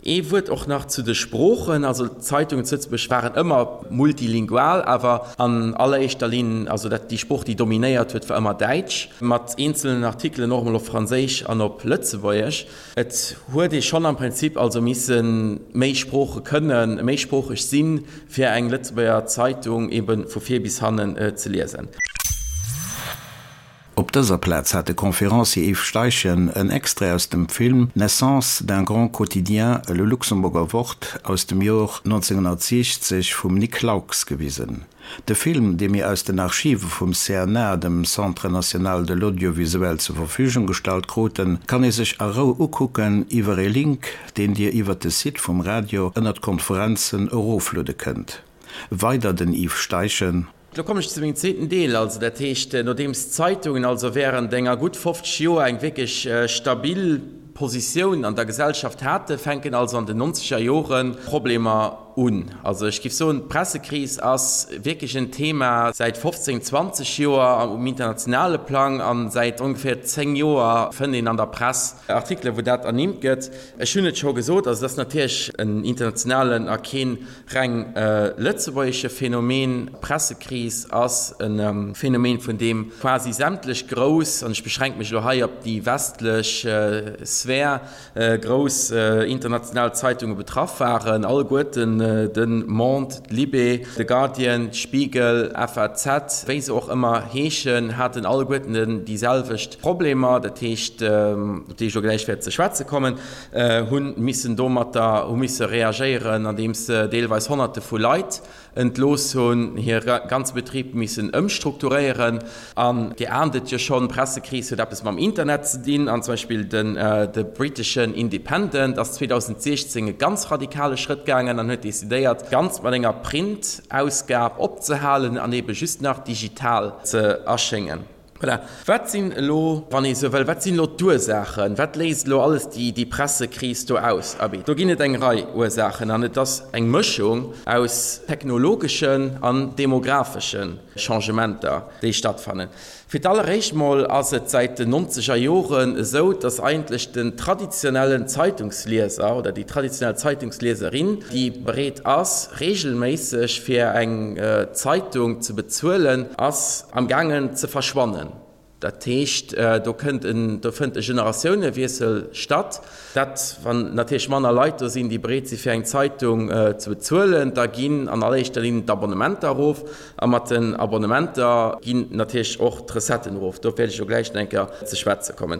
Ee Wuert och nach zu de Sproochen, Also d'Zeitungen zu Lëtzebuerg waren ëmmer multilingual, awer an alleréischter Linn, also dat, déi Sprooch, déi dominéiert huet, war ëmmer Däitsch, mat eenzelnen Artikelen och emol op Franséisch an op Lëtzebuergesch. Et huet ee schonn am Prinzip also misse méi Sprooche kënnen, méisproocheg sinn, fir eng Lëtzebuerger Zeitung ebe vu vir bis hannen ze liesen. Op dëser Plaz hat de Conférencier Yves Steichen en Extrait aus dem Film Naissance d'un grand quotidien, Le Luxemburger Wort aus dem Joer neunzehnhundertsechzeg vum Nic Laux gewisen. De Film, dee mir aus den Archive vum C N A, dem Centre national de l'audiovisuel, zur Verfügung gestallt kruten, kann ee sech a Rou ukucken iwwer ee Link, deen Dir iwwer de Site vum Radio ënnert Konferenzen erofluede kënnt. Weider den Yves Steichen. Lo kommen ech zu mengem zweeten Deel. Also dat heescht, nodeems d'Zeitungen also während enger gutt fofzeg Joer eng wierklech stabil Positioun an der Gesellschaft haten, fänken also an den nonzeger Jore Problemer un. Also ech géif soen, d'Pressekris ass wierklech en Thema säit fofzéng, zwanzeg Joer um internationale Plang a säit ongeféier zéng Joer fënnt een an der Press Artikelen, wou dat ernimmt gëtt. Ech hunn et scho gesot, also et ass natierlech en internationalen a keen reng lëtzebuergesche Phänomen. D'Pressekris ass e Phänomen, vun deem quasi sämtlech grouss, an ech beschränke mech elo hei op déi westlech Sphär, grouss international Zeitunge betraff waren, alleguerten, de Monde, d'Libé, de Guardian, Spiegel, F A Z, wéi se och ëmmer heeschen, haten alleguerten déi selwecht Problemer, dat heescht, op déi ech elo gläich wäert ze schwätze kommen, hu missen domatter, hu misse reagéieren, andeems se deelweis Honnerte vu Leit entlooss hunn, hir ganze Betrib missen ëmstrukturéieren. An Dir ahnt et jo schonn, d'Pressekris huet eppes mam Internet ze dinn. An zum Beispill den de briteschen Independent ass zweedausendsechzéng e ganz radikale Schrëtt gaangen an huet decidéiert, ganz mat enger Print-Ausgab opzehalen an ebe just nach digital ze erschéngen. Voilà. Wat sinn elo, wann ee sou wëll, wat sinn elo d'Ursaachen? Wat léist elo alles déi, déi Pressekris do aus? Abee, do ginn et eng Rei Ursaachen an et ass eng Mëschung aus technologeschen an demographesche Changementer, déi stattfannen. Fir d'alleréischt mol ass et säit den nonzeger Joren esou, dass eigentlech den traditionellen Zeitungslieser oder déi traditionell Zeitungslieserin, déi bereet ass, regelméisseg fir eng Zeitung ze bezuelen, ass am gaangen ze verschwannen. Dat heescht, do kënnt en, do fënnt e Generatiounewiessel statt. Dat, wann natierlech manner Leit do sinn, déi bereet si fir eng Zeitung ze bezuelen, da ginn an alleréischter Linn d'Abonnementer erof. A mat den Abonnementer ginn natierlech och d'Recetten erof. Dorop wäert ech elo gläich nach eng Kéier ze schwätze kommen.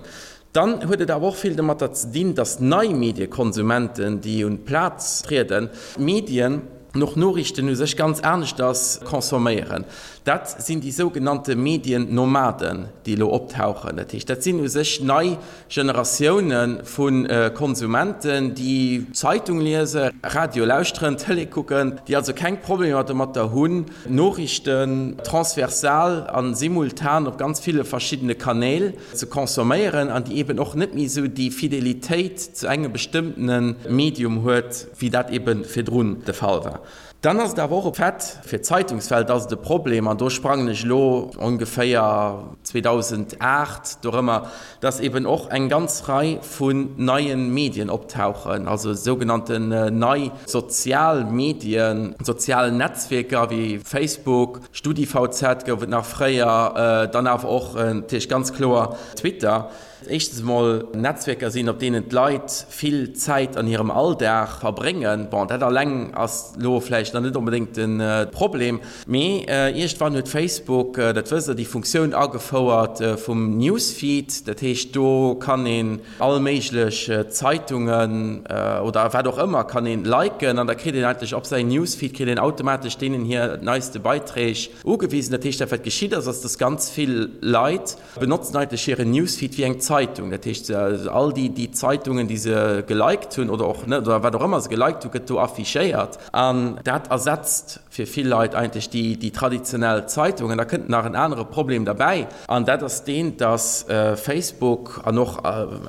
Dann huet et awer och vill domatter ze dinn, datt nei Mediekonsumenten, déi un d'Plaz trieden, d'Medien an och Noriichten u sech ganz aneschters consomméieren. Dat sinn déi sougenannte Mediennomaden, déi elo optauchen. Dat heescht, dat sinn u sech nei Generatioune vu Konsumenten, déi Zeitung liesen, Radio lauschteren, Tëlee kucken, déi also keng Problemer domatter hunn, Noriichten transversal a simultan op ganz ville verschiddene Kanäl ze consomméieren an déi eben och net méi esou déi Fidelitéit zu engem bestëmmtene Medium huet, wéi dat ebe virdrun de Fall war. Dann ass et awer och e Fait, fir d'Zeitungswelt ass et e Problem, an do sprangen ech elo ongeféier zweedausendacht dorëmmer, dass eben och eng ganz Rei vun neie Medien optauchen, also sougenannten nei sozial Medien, sozial Netzwierker wéi Facebook, StudiVZ gouf et nach fréier, dann awer och natierlech ganz kloer Twitter. Éischtens emol Netzwierker sinn, op deenen d'Leit vill Zäit an hirem Alldag verbréngen. Bon, dat alleng ass elo vläicht nach net onbedéngt de Problem, mee iergendwann huet Facebook, dat wësst Der, déi Funktioun agefouert vum Newsfeed. Dat heescht, do kann een all méiglech Zeitungen oder wat och ëmmer kann een liken an da kritt een eigentlech op säin Newsfeed kritt een automatesch deenen hir neiste Beiträg ugewisen. Dat heescht, dat wat geschitt ass, ass, dass ganz vill Leit benotzen eigentlech hiren Newsfeed wéi eng Zeitung. Dat heescht, all déi, déi Zeitungen, déi se geliked hunn oder och net oder wat och ëmmer se geliked hunn, gëtt do affichéiert. An dat ersetzt fir vill Leit eigentlech déi, déi traditionell Zeitung. An da kënnt nach en anere Problem derbäi, an dat ass deen, dass Facebook an och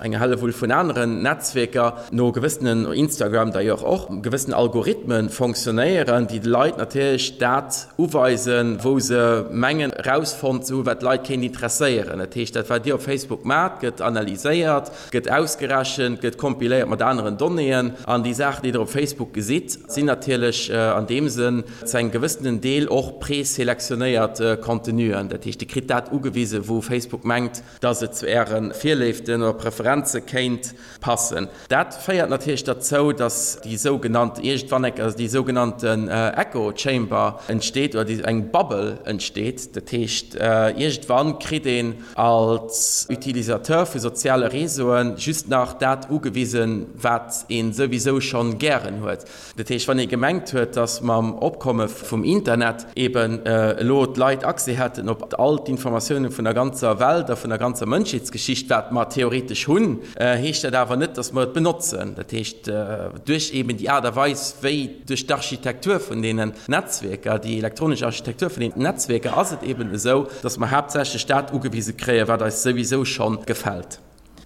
eng Hellewull vun aneren Netzwierker no gewëssenen, Instagram d'ailleurs och, gewëssenen Algorithmen fonctionnéieren, déi de Leit natierlech dat uweisen, wou se mengen erausfonnt ze hunn, wat d'Leit kéint interesséieren. Dat heescht, dat wat Dir op Facebook maacht, gëtt analyséiert, gëtt ausgerechent, gëtt kompiléiert mat aneren Donnéeën. An déi Saachen, déi Der op Facebook gesitt, sinn natierlech an deem Sënn zu engem gewëssenen Deel och preselektionéiert Contenuen. Dat heescht, Dir kritt dat ugewisen, wou Facebook mengt, dass et zu Äre Virléiften oder Preferenze kéint passen. Dat féiert natierlech derzou, dass déi sougenannt, iergendwann eng Kéier, déi sougenannten Echo Chamber entsteet oder déi eng Bubble entsteet. Dat heescht, iergendwann kritt een als Utilisateur vu soziale Réseauen just nach dat ugewisen, wat ee souwisou schonn gären huet. Dat heescht, wann ee gemengt huet, dass mam Opkomme vum Internet eben elo d'Leit Accès hätten op all d'Informatiounen vun der ganzer Welt a vun der ganzer Mënschheetsgeschicht, wat mer theoretesch hunn, heescht dat awer net, dass mer et benotzen. Dat heescht, duerch eben déi Aart a Weis, wéi duerch d'Architektur vun deenen Netzwierker, déi elektronesch Architektur vun deenen Netzwierker, ass et eben esou, dass mer haaptsächlech dat ugewise kréien, wat eis souwisou scho gefält.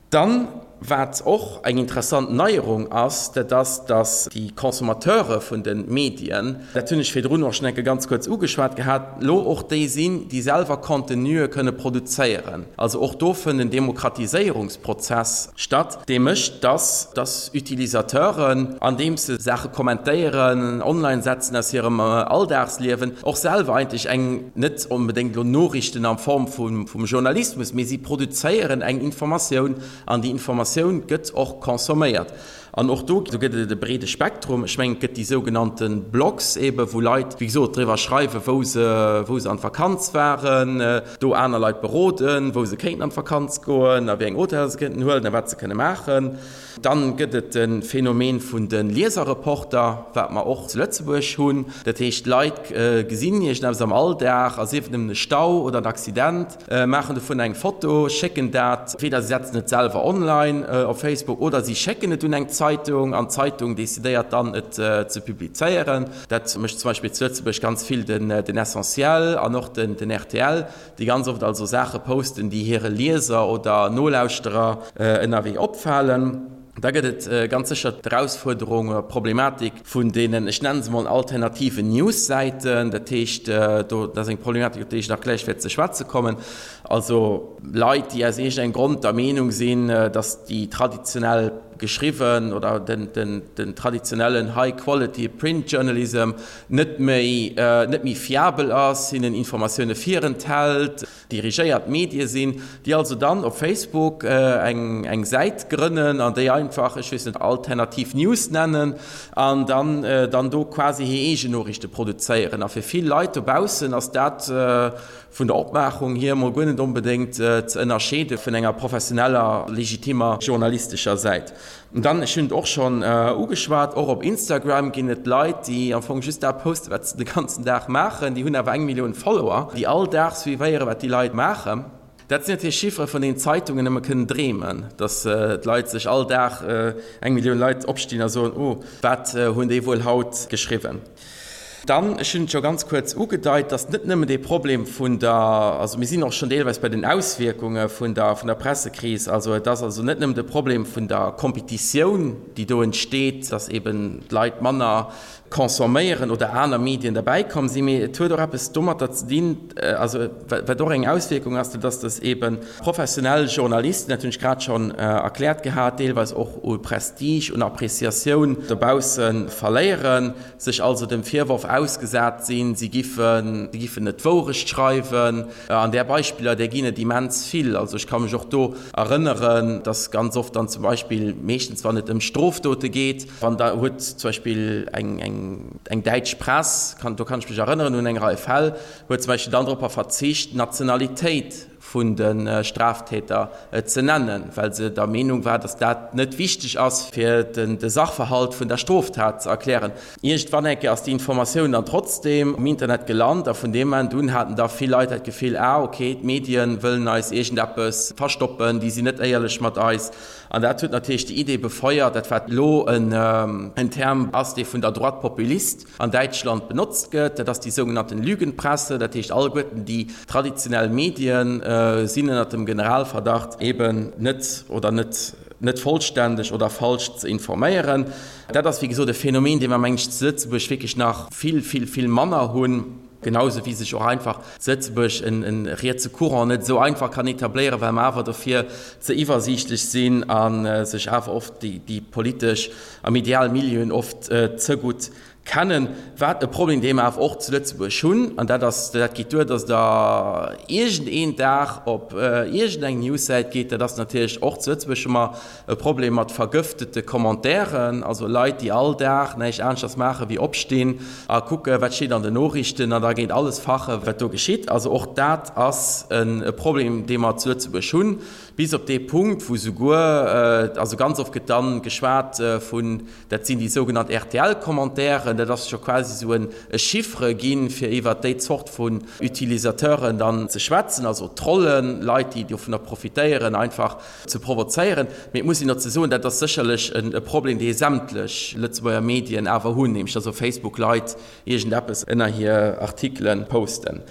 Dann, wat och eng interessant Neierung ass, dat ass, dass déi Consommateure vun de Medien, dat hunn ech virdrun och schonn eng Kéier ganz kuerz ugeschwat gehat, elo och déi sinn, déi selwer Contenue kënne produzéieren. Also och do fënnt en Demokratiséierungsprozess statt, dee mécht, dass dass Utilisateuren, andeems se Saache kommentéieren, online setzen aus hirem Alldagsliewen, och selwer eigentlech eng, net onbedéngt elo Noriichten a Form vum Journalismus, mee si produzéieren eng Informatioun an déi Informatioun gëtt och consomméiert. An och do gëtt et e breede Spektrum. Ech mengen, et gëtt déi sougenannte Blogs eebe wou Leit, wéi gesot, driwwer schreiwen, wou se, wou se an d'Vakanz waren, do aner Leit beroden, wou se kéinten an d'Vakanz goen a wéi eng Hoteller se kéinten huelen a wat se kënne maachen. Dann gëtt et de Phänomen vun de Lieserreporter, wat mer och zu Lëtzebuerg hunn. Dat heescht, Leit gesinn iergendeppes am Alldag, a sief et nëmmen e Stau oder en Accident, maachen dovun eng Foto, schécken dat, entweder si setzen et selwer online op Facebook oder si schécken et un eng Zeitung an d'Zeitung decidéiert dann, et ze publizéieren. Dat mécht zum Beispill zu Lëtzebuerg ganz vill den Essentiel an och den rtl, déi ganz oft also Saache posten, déi hire Lieser oder Nolauschterer ënnerwee opfalen. Da gëtt et ganz sécher d'Erausfuerderung oder d'Problematik vun deenen, ech nenne se mol alternativen Newssäiten. Dat heescht, do, dat ass eng Problematik, op déi ech nach gläich wäert ze schwätze kommen, also Leit, déi aus iergendengem Grond der Meenung sinn, datt déi traditionell geschriwwen oder den, den, den traditionellen high quality print journalism net méi, net méi fiabel ass, hinnen Informatioune virenthält, dirigéiert Medie sinn, déi also dann op Facebook eng eng Säit grënnen an déi einfach, ech weess net, Alternativ News nennen an dann dann do quasi hir eegen Noriichte produzéieren. A fir vill Leit dobaussen ass dat vun der Opmaachung hier emol guer net onbedéngt ze ënnerscheede vun enger professioneller, legitimer journalistescher Säit. An dann, ech hunn et och schonn ugeschwat, och op Instagram ginn et Leit, déi am Fong just dat posten, wat se de ganzen Dag maachen. Déi hunn awer eng Millioun Follower, déi all Dag suivéieren, wat déi Leit maachen. Dat sinn natierlech Chiffere vun deenen d'Zeitungen nëmme kënnen dreemen, datt d'Leit sech all Dag, eng Millioun Leit opstinn a soen, Oh, wat hunn déi wuel haut geschriwwen? Dann, ech hunn et scho ganz kuerz ugedeit, dass net nëmmen dee Problem vun der, also mir sinn och schonn deelweis bei den Auswierkunge vun der, vun der Pressekris, also et ass also net nëmmen de Problem vun der Kompetitioun, déi do entsteet, dass eben d'Leit manner consomméieren oder aner Medien derbäikomm sinn, mee et huet och eppes domatter ze dinn, also wat och eng Auswierkung ass, dat ass, dass eebe professionell Journalisten, dat hunn ech grad schonn erkläert gehat, deelweis och u Prestige, un Appréciatioun dobausse verléieren, sech also dem Virworf ausgesat sinn, si giffen, si giffen net d'Wourecht schreiwen. An där Beispiller, där ginn et immens vill. Also ech ka mech och do erënneren, dass ganz oft dann zum Beispill, meeschtens wann et ëm Strofdote geet, wann da huet zum Beispill eng, eng, eng däitsch Press, kann, do kann ech mech erënneren un eng Rei Fäll, huet zum Beispill dann dropper verzicht, d'Nationalitéit vun de Straftäter ze nennen, well se der Meenung war, datt dat net wichteg ass, fir de Sachverhalt vun der Stroftat ze erklären. Iergendwann eng Kéier ass déi Informatioun dann trotzdeem um Internet gelant a vun deem Moment un haten da vill Leit dat Gefill, ah okay, d'Medien wëllen eis iergendeppes verstoppen, déi sinn net éierlech mat eis. An dat huet natierlech déi Idee befeuert, dat wat elo en Term ass, dee vun der Droite populiste an Däitschland benotzt gëtt, dat ass déi sougenannten Lügenpresse, dat heescht alleguerten déi traditionell Medien sinn ënnert dem Generalverdacht eben net oder net net vollständeg oder falsch ze informéieren. Dat ass wéi gesot e Phänomen, dee mer meng ech zu Lëtzebuerg wierklech nach vill, vill, vill manner hunn, genauso wéi sech och einfach zu Lëtzebuerg en rietse Courant net esou einfach kann etabléieren, well mer awer dofir ze iwwersiichtlech sinn a sech awer oft déi politesch a medial Milieuen oft ze gutt kennen. Wat e Problem, dee mer awer och zu Lëtzebuerg hunn, an dat ass, dat geet duer, datt Der iergendeen Dag op iergendeng Newssäit geet, dat ass natierlech och zu Lëtzebuerg hu mer e Problem mat vergëftete Commentairen, also Leit, déi all Dag näischt aneschters maache wéi opstinn a kucke wat steet an den Noriichten an da géint alles fache wat do geschitt. Also och dat ass e Problem, dee mer zu Lëtzebuerg hunn, bis op dee Punkt, wou souguer, also ganz oft gëtt dann geschwat vun, dat sinn déi sougenannt R T L-Commentairen, dat ass scho quasi esou e Chiffre ginn, fir iwwert déi Zort vun Utilisateuren dann ze schwätzen, also Trollen, Leit, déi dovunner profitéieren, einfach ze provozéieren. Mee et muss een dozou soen, dat ass sécherlech e Problem, dee sämtlech Lëtzebuerger Medien awer hunn, nämlech dass op Facebook Leit iergendeppes ënner hir Artikele posten.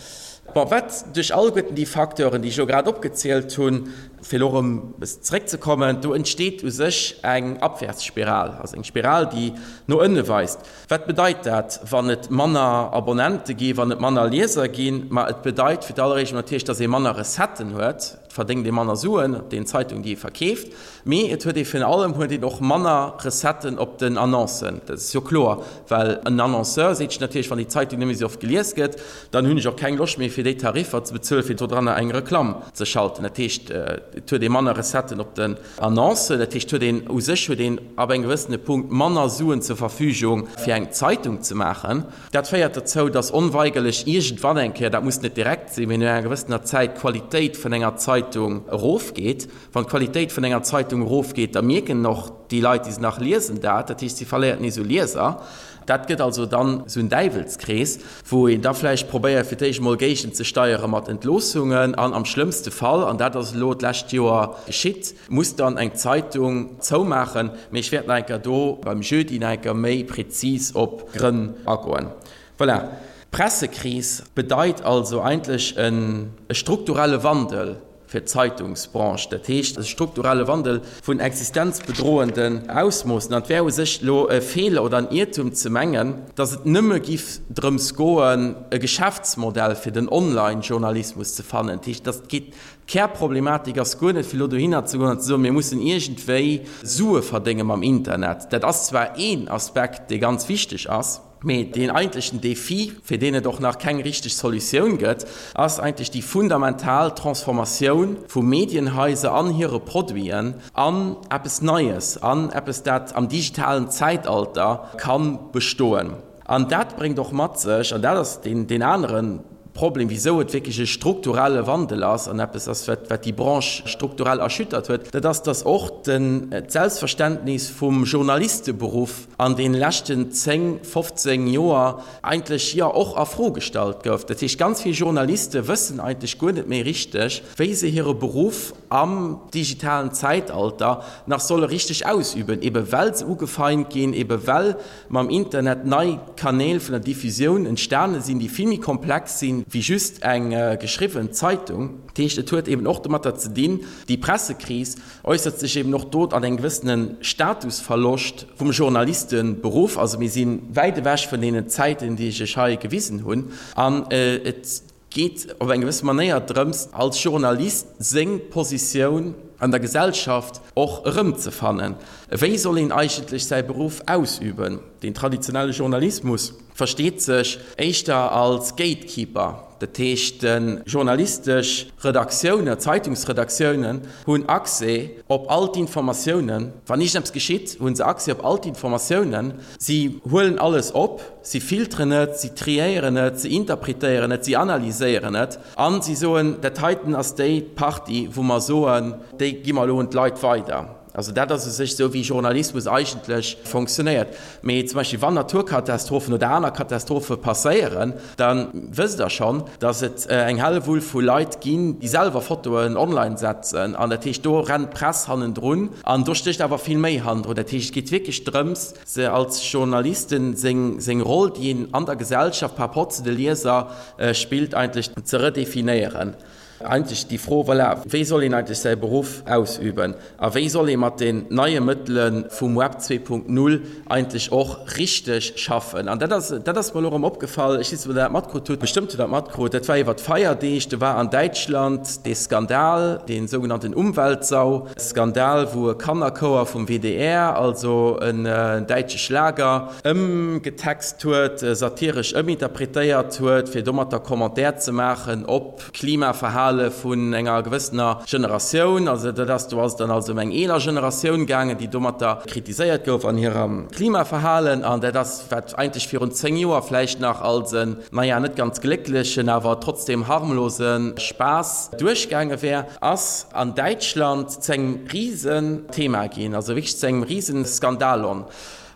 Bon, wat duerch alleguerten déi Facteuren, déi ech elo grad opgezielt hunn, fir elo erëm e bëssen zeréckzekommen, do entsteet u sech eng Abwärtsspiral, also eng Spiral, déi no ënne weist. Wat bedeit dat, wann et manner Abonnente gi, wann et manner Lieser ginn? Ma et bedeit fir d'alleréischt emol natierlech, dass ee manner Recetten huet, et verdéngt ee manner Suen op den Zeitungen, déi ee verkeeft, mee et huet ee virun allem huet een och manner Recetten op den Annoncen. Dat ass jo kloer, well en Annonceur seet sech natierlech, wann déi Zeitung net méi esou oft gelies gëtt, dann hunn ech och keng Loscht méi fir déi Tariffer ze bezuelen, fir dodranner eng Reklamm ze schalten. Dat heescht, et huet ee manner Recetten op den Annoncen, dat heescht, huet een u sech huet een ab engem gewëssene Punkt manner Suen zur Verfügung, fir eng Zeitung ze maachen. Dat féiert dozou, dass onweigerlech iergendwann eng Kéier, dat muss net direkt sinn, mee no enger gewëssener Zäit, d'Qualitéit vun enger Zeitung erofgeet. Wann d'Qualitéit vun enger Zeitung erofgeet, da mierken och déi Leit, déi se nach liesen, dat. Dat heescht, si verléiert nees u Lieser. Dat gëtt also dann esou en Däiwelskrees, wou een da vläicht probéiert, fir d'éischt emol géigenzesteiere mat Entloossungen an am schlëmmste Fall, an dat ass elo d'lescht Joer geschitt, muss dann eng Zeitung zoumaachen. Mee ech wäert nach eng Kéier do beim Jeudi nach eng Kéier méi prezis op d'Grënn agoen. Voilà. D'Pressekris bedeit also eigentlech e strukturelle Wandel fir d'Zeitungsbranche, dat heescht e strukturelle Wandel vun existenzbedrohenden Ausmoossen. An et wär u sech elo e Feeler oder en Iertum ze mengen, datt et nëmme giff drëms goen, e Geschäftsmodell fir den Online-Journalismus ze fannen. Dat heescht, datt geet, d'Kärproblematik ass guer net, fir elo dohinner ze goen an ze soen, mir mussen iergendwéi Sue verdénge mam Internet. Dat ass zwar een Aspekt, dee ganz wichteg ass. Mee deen eigentlechen Défi, fir deen et och nach keng richteg Solutioun gëtt, ass eigentlech déi fundamental Transformatioun vu Medienhaiser an hire Produiten an eppes Neies, an eppes, dat am digitalen Zäitalter ka bestoen. An dat bréngt och mat sech, an dat ass deen anere Problem, wisou et wierklech e strukturelle Wandel ass an eppes ass, wat déi Branche strukturell erschüttert huet, dat ass, dass och d'Selbstverständnis vum Journalisteberuff an deene leschten zéng, fofzéng Joer eigentlech, jo, och a Fro gestallt gouf. Dat heescht, ganz vill Journaliste wëssen eigentlech guer net méi richteg, wéi se hire Beruff am digitalen Zäitalter nach solle richteg ausüben, ebe well se ugefeint ginn, ebe well mam Internet nei Kanäl vun der Diffusioun entstane sinn, déi vill méi komplex sinn, sinn wéi just eng geschriwwen Zeitung. Dat heescht, et huet eben och domatter ze dinn, déi Pressekris äussert sech eben och do an engem gewëssene Statusverloscht vum Journalisteberuff. Also mir si wäit ewech vun deenen Zäiten, déi ech iech hei gewisen hunn. An et geet op eng gewësse Manéier drëms, als Journalist seng Positioun an der Gesellschaft och erëmzefannen. Wéi soll een eigentlech säi Beruff ausüben? Den traditionelle Journalismus versteet sech éischter als Gatekeeper. Dat heescht, journalistesch Redaktiounen, Zeitungsredaktiounen hunn Accès op all d'Informatiounen. Wann iergendeppes geschitt, hu se Accès op all d'Informatiounen. Si huelen alles op, si filteren et, si triéieren et, si interpretéieren et, si analyséieren et a si soen, dat heiten ass déi Partie, wou mer soen, déi gi mer elo un d'Leit weider. Also dat ass u sech esou, wéi Journalismus eigentlech fonctionnéiert. Mee zum Beispill wann Naturkatastrophen oder aner Katastrophe passéieren, da wësst Der schonn, datt et eng Hellewull vu Leit ginn, déi selwer Fotoen online setzen. An dat heescht, do rennt d'Press hannendrun. An do stécht awer vill méi hannendrun. Dat heescht, et geet wierklech drëms, se als Journalisten seng seng Roll, déi een an der Gesellschaft par rapport zu de Lieser spillt, eigentlech ze redefinéieren. Eigentlech déi Fro, voilà, wéi soll een eigentlech säi Beruff ausüben a wéi soll ee mat den neie Mëttele vum Web zwee Punkt null eigentlech och richteg schaffen? An dat ass, dat ass mer elo erëm opgefall, ech weess net, ob Der dat matkrut hutt, bestëmmt hutt Der dat matkrut, dat war iwwer d'Feierdeeg, do war an Däitschland dee Skandal, dee sougenannten Umweltsau-Skandal, wou e Kannerchouer vum W D R, also en däitsche Schlager, ëmgetext huet, satiresch ëminterpretéiert huet, fir domatter Commentaire ze maachen op Klimaverhale vun enger gewëssener Generatioun. Also dat ass, do ass et dann also ëm eng eeler Generatioun gaangen, déi domatter kritiséiert gouf an hirem Klimaverhalen. An dat ass, wat eigentlech virun zéng Joer vläicht nach als en, naja, net ganz glécklechen, awer trotzdem harmlose Spaass duerchgaange wär, ass an Däitschland zu engem Risenthema ginn, also wierklech zu engem Risenskandalon.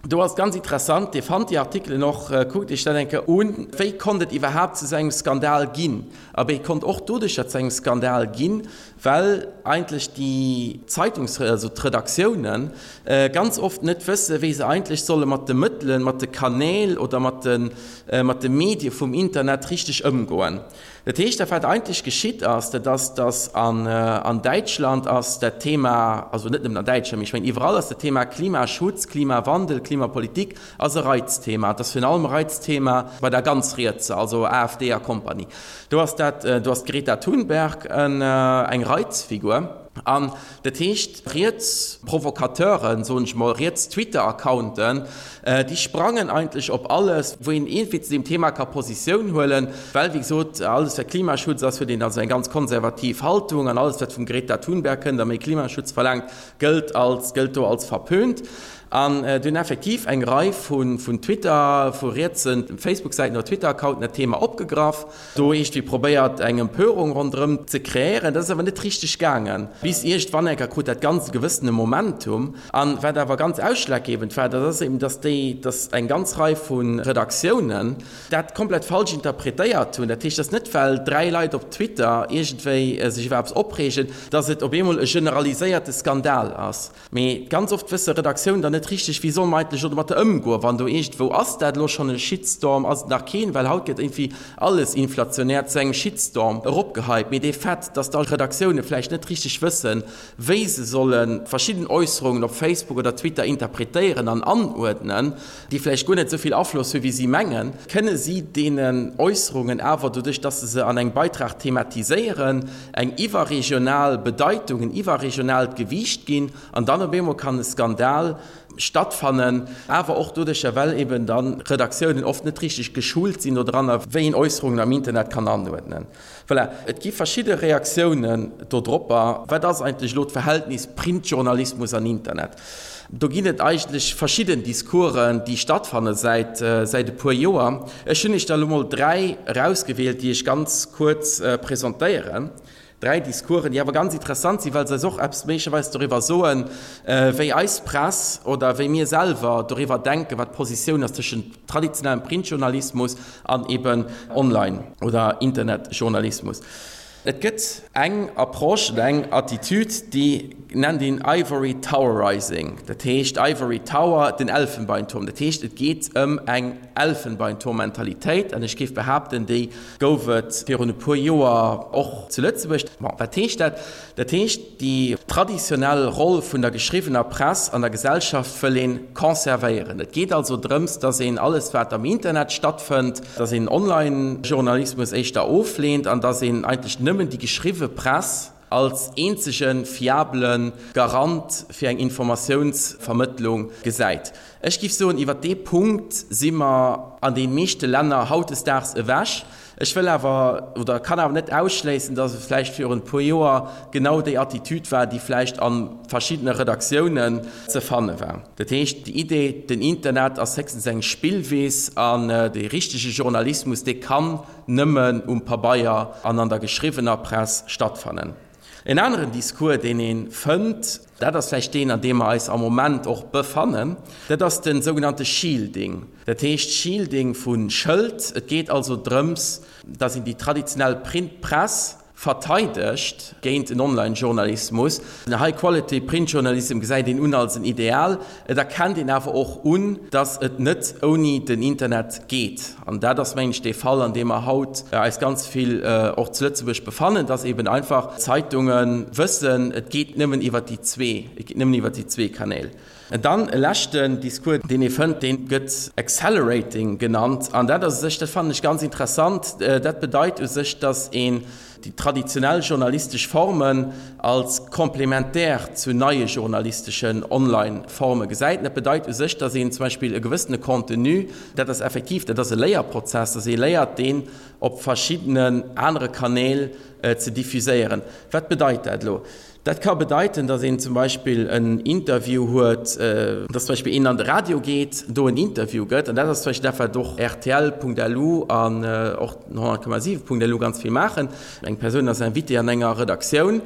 Do ass ganz interessant, Dir fannt déi Artikelen och, kuckt Iech dat eng Kéier un, wéi konnt et iwwerhaapt zu esou engem Skandal ginn? Abee, et konnt och doduercher zu engem Skandal ginn, well eigentlech déi Zeitungs-, also d'Redaktiounen ganz oft net wëssen, wéi se eigentlech solle mat de Mëttelen, mat de Kanäl oder mat de, mat de Medie vum Internet richteg ëmgoen. Dat heescht, dat wat eigentlech geschitt ass, dat ass, datt an Däitschland ass dat Thema, also net nëmmen an Däitschland, mee ech mengen iwwerall ass dat Thema Klimaschutz, Klimawandel, Klimapolitik ass e Reizthema. Et ass virun allem e Reizthema bei der ganz Rietser, also A F D a Kompanie. Do ass dat, do ass d'Greta Thunberg eng Reizfigur. An dat heescht, riets Provocateuren, soen ech mol, riets Twitter-Accounten, déi sprangen eigentlech op alles, wou een iergendwéi zu deem Thema ka Positioun huelen, well, wéi gesot, alles wat Klimaschutz ass, huet een also eng ganz konservativ Haltung an alles wat vum Greta Thunberg kënnt a méi Klimaschutz verlaangt, gëllt als, gëllt do als verpönt. An do hunn effektiv eng Rei vu vun Twitter, vu rietsen Facebook-Säiten oder Twitter-Accounten dat Thema opgegraff, do iergendwéi probéiert eng Empörung ronderëm ze kreéieren. Dat ass awer net richteg gaangen, bis iergendwann eng Kéier krut dat Ganzt e gewëssene Momentum. An wat awer ganz ausschlaggebend war, dat ass eben, dass déi, dass eng ganz Rei vu Redaktiounen dat komplett falsch interpretéiert hunn. Dat heescht, dass net well dräi Leit op Twitter iergendwéi sech iwwer eppes opreegen, dass et op eemol e generaliséierte Skandal ass. Mee ganz oft wësse Redaktiounen dann net richteg, wéi solle mer eigentlech elo domatter ëmgoen, wann do iergendwou, ass dat elo schonn e Shitstorm, ass et nach keen, well haut gëtt iergendwéi alles inflationär zu engem Shitstorm eropgehypt. Mee dee Fait, dass da Redaktioune vläicht net richteg wëssen, wéi se solle verschidden Äusserungen op Facebook oder Twitter interpretéieren an anuerdnen, déi vläicht guer net esou vill Afloss hu wéi si mengen, kënne si deenen Äusserungen awer, doduerch dass se se an engem Beitrag thematiséieren, eng iwwerregional Bedeitung, en iwwerregionaalt Gewiicht ginn an dann op eemol kann e Skandal stattfannen, awer och doduercher, well eben dann Redaktiounen oft net richteg geschult sinn dodranner, wéi een Äusserungen am Internet kann anuerdnen. Voilà, et gi verschidde Reaktiounen dodropper. Wat ass eigentlech elo d'Verhältnis Printjournalismus an Internet? Do ginn et eigentlech verschidden Discoursen, déi stattfanne säit säit e puer Joer. Ech hunn Iech der elo mol dräi erausgewielt, déi ech ganz kuerz presentéieren. Dräi Discoursen, déi awer ganz interessant sinn, well se eis och eppes méiglecherweis doriwwer soen, wéi eis Press oder wéi mir selwer doriwwer denken, wat d'Positioun ass tëschent traditionellem Printjournalismus an eben Online oder Internetjournalismus. Et gëtt eng Approche oder eng Attitüd, déi nennt een Ivory Towerizing. Dat heescht Ivory Tower, den Elfenbeinturm. Dat heescht, et geet ëm eng Elfenbeinturm-Mentalitéit an ech géif behaapten, déi gouf et virun e puer Joer och zu Lëtzebuerg. Bon, wat heescht dat? Dat heescht, déi traditionell Roll vun der geschriwwener Press an der Gesellschaft wëll ee conservéieren. Et geet also drëms, dass een alles, wat am Internet stattfënnt, dass een Online-Journalismus éischter ofleent an dass een eigentlech nëmmen déi geschriwwe Press als eenzege fiabele Garant fir eng Informatiounsvermëttlung gesäit. Ech géif soen, iwwert dee Punkt si mer an de meeschte Länner hautdesdaags ewech. Ech wëll awer oder kann awer net ausschléissen, dass et vläicht virun e puer Joer genau déi Attitüd war, déi vläicht a verschiddene Redaktiounen ze fanne war. Dat heescht, déi Idee, den Internet ass héchstens eng Spillwiss an dee richtege Journalismus, dee kann nëmmen um Pabeier an an der geschriwwener Press stattfannen. En aneren Discours, deen ee fënnt, dat ass vläicht deen, an deem mer eis am Moment och befannen, dat ass de sougenannte Shielding. Dat heescht Shielding vu Schëld. Et geet also drëms, dass een déi traditionell Printpress verteidegt géint en Online-Journalismus. Den High-Quality Printjournalism gesäit een un als en Ideal. Et erkennt een awer och un, dass et net ouni den Internet geet. An dat ass, mengen ech, dee Fall, an deem mer haut eis ganz vill och zu Lëtzebuerg befannen, dass eben einfach Zeitunge wëssen, et geet nëmmen iwwert déi zwee, et geet nëmmen iwwert déi zwee Kanäl. An dann e leschten Discours, deen ee fënnt, dee gëtt Accelerating genannt. An dat ass u sech, dat fannen ech ganz interessant, dat bedeit u sech, dass een déi traditionell journalistesch Formen als komplementär zu neie journalisteschen Online-Forme gesäit. Dat bedeit u sech, dass een zum Beispill e gewëssene Contenu, dat ass effektiv, dat ass e Léierprozess, dass ee léiert, deen op verschiddenen anere Kanäl ze diffuséieren. Wat bedeit dat elo? Dat ka bedeiten, datt een zum Beispill en Interview huet, datt zum Beispill een an de Radio geet, do en Interview gëtt. An dat ass zum Beispill dat, wat och rtl.lu an och honnert Komma siwen Punkt lu ganz vill maachen. Eng Persoun ass Invité an enger Redaktioun,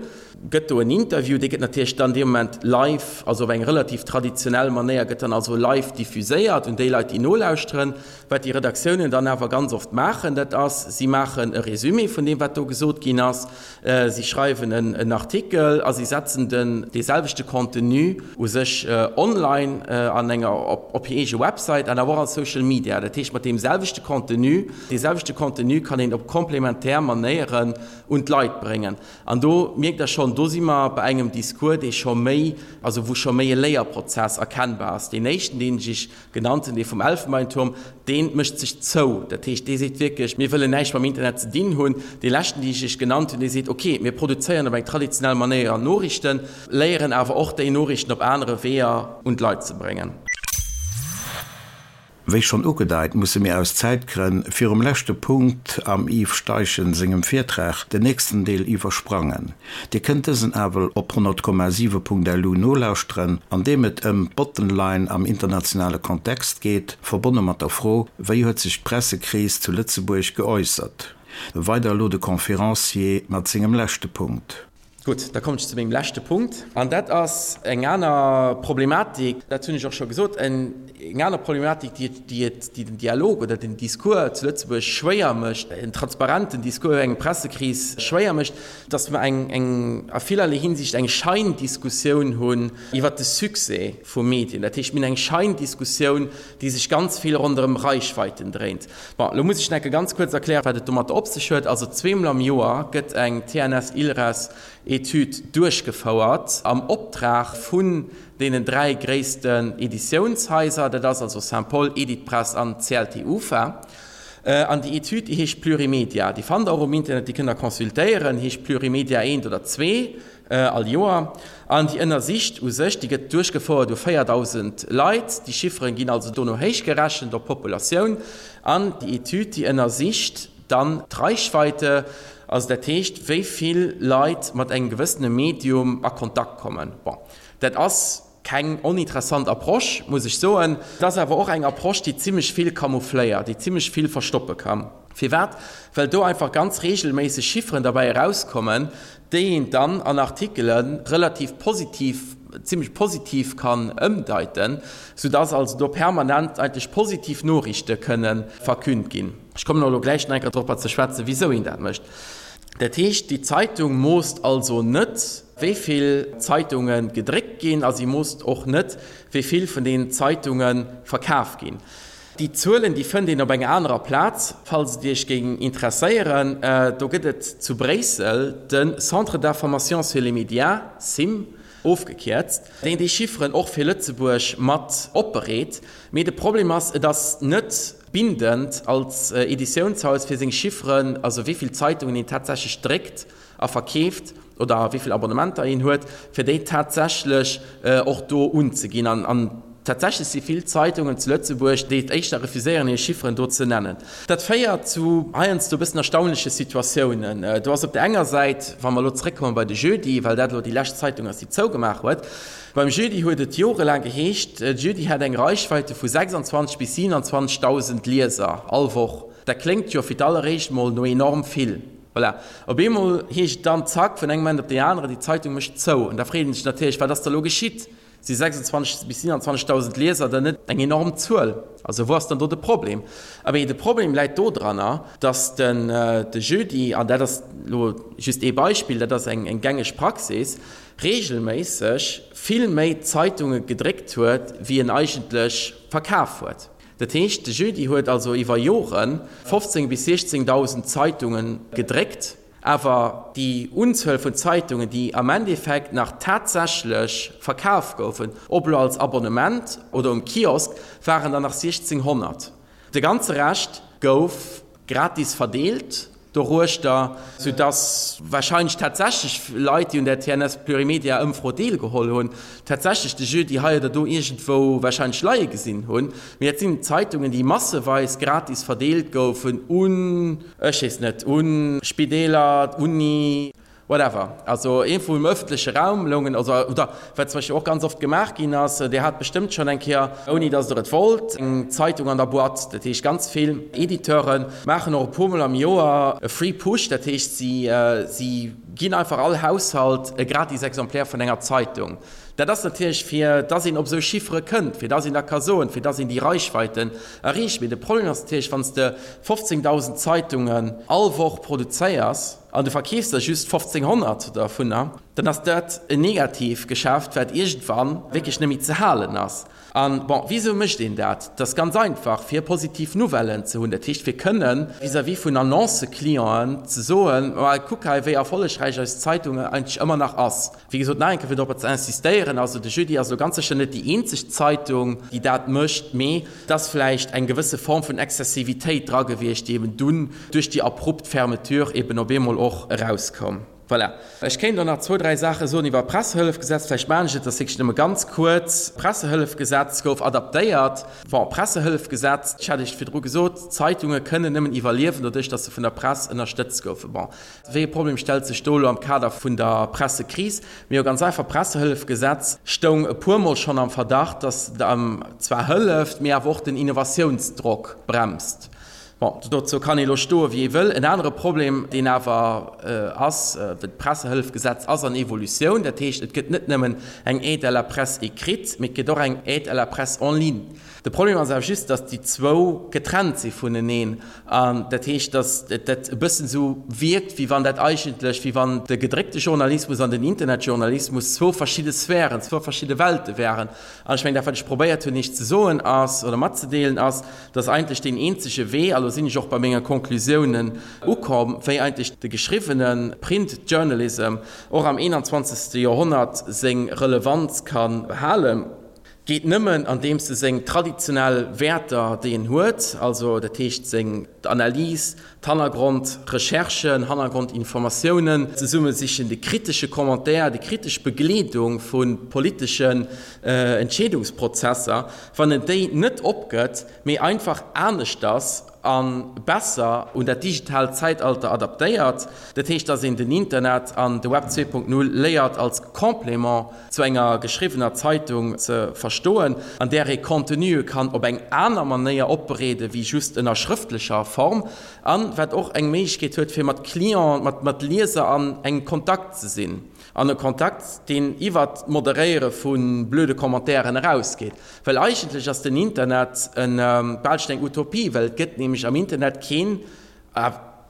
gëtt do en Interview, dee gëtt natierlech dann dee Moment live, also op eng relativ traditionell Manéier gëtt dann also live diffuséiert un déi Leit, déi nolauschteren. Wat déi Redaktiounen dann awer ganz oft maachen, dat ass, si maachen e Résumé vun deem, wat do gesot ginn ass, si schreiwen en Artikel a si setzen den dee selwechte Contenu u sech online an enger, op hir eege Website an awer och a Social Media. Dat heescht, mat deem selwechte Contenu, dee selwechte Contenu kann een op komplementär Manéieren un d'Leit bréngen. An do mierkt Der schonn, do si mer bei engem Discours, dee scho méi, also wou scho méi e Léierprozess erkennbar ass. Deen éischten, deen ech Iech genannt hunn, dee vum Elfenbeinturm, dee mécht sech zou. Dat heescht, dee seet wierklech, mir wëllen näischt mam Internet ze dinn hunn. Dee leschten, dee ech Iech genannt hunn, dee seet, okay, mir produzéieren op eng traditionell Manéier Noriichten, léieren awer och déi Noriichten op anere Weeër un d'Leit ze bréngen. Wéi schonn ugedeit, musse mir aus Zäitgrënn virum leschte Punkt am Yves Steichen sengem Virtrag den nächsten Deel iwwersprangen. Dir kënnt dësen awer op honnert Komma siwe Punkt lu nolauschteren, an deem et ëm d'Bottomline am internationale Kontext geet, verbonne mat der Fro, Wéi huet sech d'Pressekris zu Lëtzebuerg geäussert? Weider elo de Conférencier mat sengem leschte Punkt. Gutt, da kommen ech zu mengem leschte Punkt, an dat ass eng aner Problematik, dat hunn ech och scho gesot, eng aner Problematik, déi et, déi et, déi den Dialog oder den Discours zu Lëtzebuerg schwéier mécht, en transparenten Discours iwwer eng Pressekris schwéier mécht, dass mer eng, eng a villerlee Hinsicht eng Scheindiskussioun hunn iwwert de Succès vu Medien. Dat heescht, mir hunn eng Scheindiskussioun, déi sech ganz vill ronderëm Reichweiten dréint. Bon, elo muss ech nach eng Kéier ganz kuerz erklären, wat et domatter op sech huet. Also zweemol am Joer gëtt eng T N S-ILReS Etüd duerchgefouert am Optrag vun deenen dräi gréissten Editiounshaiser, dat ass also Saint-Paul, Editpress an C L T U F A. An déi Etüd, déi heescht Plurimedia. Déi fannt Der och um Internet, déi kënnt Der consultéieren, heescht Plurimedia eent oder zwee all Joer. An déi ënnersicht u sech, déi gëtt duerchgefouert u véierdausend Leit, déi Chifferen ginn also dono héichgerechent op d'Populatioun, an déi Etüd, déi ënnersicht dann d'Reichweite, also dat heescht, wéi vill Leit mat engem gewëssene Medium a Kontakt kommen. Bon, dat ass keng oninteressant Approche, muss ech soen. Et ass awer och eng Approche, déi zimlech vill camoufléiert, déi zimlech vill verstoppe kann. Firwat? Well do einfach ganz regelméisseg Chifferen derbäi erauskommen, déi een dann an Artikele relativ positiv, zimlech positiv kann ëmdeiten, soudass also do permanent eigentlech positiv Noriichte kënne verkünnt ginn. Ech kommen och elo gläich nach eng Kéier dorobber ze schwätzen, wisou een dat mécht. Dat heescht, déi Zeitung moosst also net, wéi vill Zeitunge gedréckt ginn, a si moosst och net, wéi vill vun deenen Zeitunge verkaf ginn. Déi Zuelen, déi fënnt een op enger anerer Plaz, falls et Iech géing interesséieren. Do gëtt et zu Bréissel de Centre d'information sur les médias, CIM ofgekierzt, deen déi Chifferen och fir Lëtzebuerg mat opbereet. Mee de Problem ass, et ass net bindend als Editiounshaus fir seng Chifferen, also wéi vill Zeitungen een tatsächlech dréckt a verkeeft oder wéi vill Abonnementer een huet, fir déi tatsächlech och do unzeginn. An tatsächlech si vill Zeitungen zu Lëtzebuerg, déi et éischter refuséieren, hir Chifferen do ze nennen. Dat féiert zu heiansdo e bëssen erstaunleche Situatiounen. Do ass op der enger Säit, wa mer elo zeréckkomme bei de Jeudi, well dat elo déi lescht Zeitung ass, déi zougemaach huet, beim Jeudi huet et jorelaang geheescht, de Jeudi hätt eng Reichweite vu sechsundzwanzeg bis siewenundzwanzegdausend Lieser all Woch. Dat kléngt jo fir d'alleréischt mol no enorm vill. Voilà. Op eemol heescht et dann, zack, vun engem Moment op deen aneren, déi Zeitung mécht zou. An da freet een sech natierlech, wat ass da elo geschitt? Si sechsundzwanzeg bis siewenundzwanzegdausend Lieser dann net eng enorm Zuel? Also wou ass dann do de Problem? Abee, de Problem läit dodranner, datt den de Jeudi, an dat ass elo just ee Beispill, dat ass eng eng gängeg Praxis, regelméisseg vill méi Zeitunge gedréckt huet, wéi en eigentlech verkaf huet. Dat heescht, de Jeudi huet also iwwer Jore fofzéng bis siechzéngdausend Zeitunge gedréckt. Awer déi Unzuel vun Zeitungen, déi am Endeffekt nach tatsächlech verkaf goufen, ob elo als Abonnement oder um Kiosk, waren der nach siechzénghonnert. De ganze Rescht gouf gratis verdeelt doruechter, soudass warscheinlech tatsächlech Leit, déi un der T N S Plurimedia-Ëmfro deelgeholl hunn, tatsächlech de Jeudi hei oder do iergendwou warscheinlech leie gesinn hunn. Mee dat sinn Zeitungen, déi masseweis gratis verdeelt goufen un, ech weess net, un Spideeler, d'Uni, whatever, also iergendwou im ëffentleche Raum loungen, also, oder wat zum Beispill och ganz oft gemaach ginn ass, Dir hat bestëmmt schonn eng Kéier, ouni datt Der et wollt, eng Zeitung an der Boîte. Dat heescht, ganz vill Editeure maachen och e puermol am Joer e Free Push, dat heescht, si, si ginn einfach all Haushalt e gratis Exemplaire vun enger Zeitung. Dat ass natierlech, fir dass een op esou Chiffere kënnt, fir dass een da ka soen, fir dass een déi Reichweiten erreecht. Mee de Problem ass natierlech, wann s de fofzéngdausend Zeitungen all Woch produzéiers an du verkeefs der just fofzénghonnert dovunner, dann ass dat en Negativgeschäft, wat iergendwann wierklech net méi ze halen ass. An, bon, wisou mécht een dat? Dat ass ganz einfach, fir positiv Nouvellen ze hunn. Dat heescht, fir kënnen vis-à-vis vun Annoncëclienten ze soen, Ma kuck hei, wéi erfollegräich eis Zeitung eigentlech ëmmer nach ass. Wéi gesot, nach eng Kéier, fir dorobber ze insistéieren, also de Jeudi ass elo ganz sécher net déi eenzeg Zeitung, déi dat mécht, mee et ass vläicht eng gewësse Form vun Exzessivitéit dra gewiescht, déi eben dunn duerch déi abrupt Fermeture eben op eemol och erauskoum. Voilà. Ech kéint och nach zwou, dräi Saache soen iwwer d'Pressehëllefgesetz. Vläicht maachen ech et, dat ass wierklech nëmme ganz kuerz. D'Pressehëllefgesetz gouf adaptéiert. Bon, d'Pressehëllefgesetz, ech hat Iech virdru gesot, d'Zeitunge kënnen nëmmen iwwerliewen doduerch, datt se vun der Press ënnerstëtzt goufen. Bon, wéi e Problem stellt sech do elo am Kader vun der Pressekris? Mee jo, ganz einfach, d'Pressehëllefgesetz stoung e puermol schonn am Verdacht, datt et zwar hëlleft, mee awer och den Innovatiounsdrock bremst. Bon, dozou kann ee lo stoe wéi ee wëll. En anere Problem, deen awer ass, D'Pressehëllefgesetz ass an Evolutioun. Dat heescht, et gëtt net nëmmen eng Aide à la presse écrite, mee et gëtt och eng Aide à la presse en ligne. De Problem ass awer just, datt déi zwou getrennt si vuneneen. An dat heescht, datt dat e bëssen esou wierkt, wéi wann dat eigentlech, wéi wann de gedréckte Journalismus an den Internetjournalismus zwou verschidde Sphären, zwou verschidde Welte wären. An ech mengen, dat wat ech probéiert hunn Iech ze soen ass, oder matzedeelen ass, dass eigentlech deen eenzege Wee, a lo sinn ech och bei menge Konklusiounen ukomm, wéi eigentlech de geschriwwene Print Journalism och am eenanzwanzegste Joerhonnert seng Relevanz ka behalen, geet nëmmen andeems e seng traditionell Wäerter, déi en huet, also dat heescht seng Analys, d'Hannergrondrecherchen, Hannergrondinformatiounen zesummesichen, de kritesche Commentaire, déi kritesch Begleedung vu politeschen Entscheedungsprozesser, wann en déi net opgëtt, mee einfach aneschters a besser un dat digitaalt Zäitalter adaptéiert. Dat heescht, dass een den Internet an de Web zwee Punkt null léiert als Complément zu enger geschriwwener Zeitung ze verstoen, an där ee Contenue kann op eng aner Manéier opbereede wéi just ënner schrëftlecher Form, an wat och eng Méiglechkeet huet, fir mat Clienten, mat mat Lieser an engem Kontakt ze sinn, an e Kontakt, deen iwwert d'Moderéiere vu blöde Commentairen erausgeet. Well eigentlech ass den Internet en, bal schon eng Utopie, well et gëtt nämlech am Internet keen,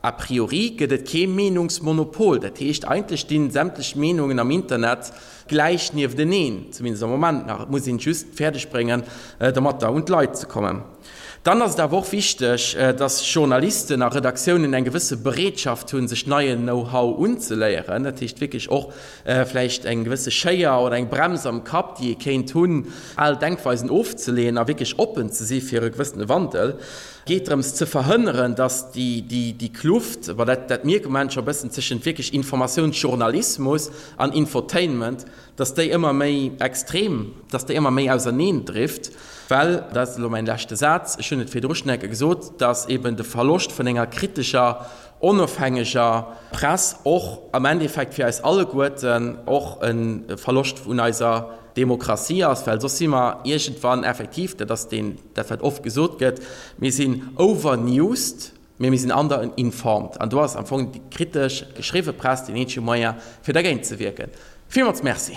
A priori gëtt et kee Meenungsmonopol, dat heescht eigentlech stinn sämtlech Meenungen am Internet gläich niefteneen, zumindest am Moment nach, et muss een et just fäerdeg bréngen domatter un d'Leit ze kommen. Dann ass et awer och wichteg, dass Journalisten a Redaktiounen eng gewësse Bereetschaft hunn, sech neien Know-how unzeléieren, dat heescht wierklech och vläicht eng gewësse Schéier oder eng Brems am Kapp, déi ee kéint hunn, al Denkweisen ofzeleeën a wierklech oppen ze si fir e gewëssene Wandel. Geet drëms ze verhënneren, dass déi Kluft, bon dat dat mierke mer scho e bëssen, tëschent wierklech Informatiounsjournalismus an Infotainment, dass déi ëmmer méi extrem, dass déi ëmmer méi auserneen drift, well, dat ass elo mäin leschte Saz, ech hunn et virdru schonn eng Kéier gesot, dass eben de Verloscht vun enger kritescher, onofhängeger Press och am Endeffekt fir eis alleguerten och e Verloscht vun eiser Demokratie ass, well soss si mer iergendwann effektiv, dat ass deen, dat wat oft gesot gëtt, mir sinn overnewsed, mee mir sinn underinformed. An do ass am Fong déi kritesch geschriwwe Press deen eenzege Moyen, fir dergéint ze wierken. Villmools Merci.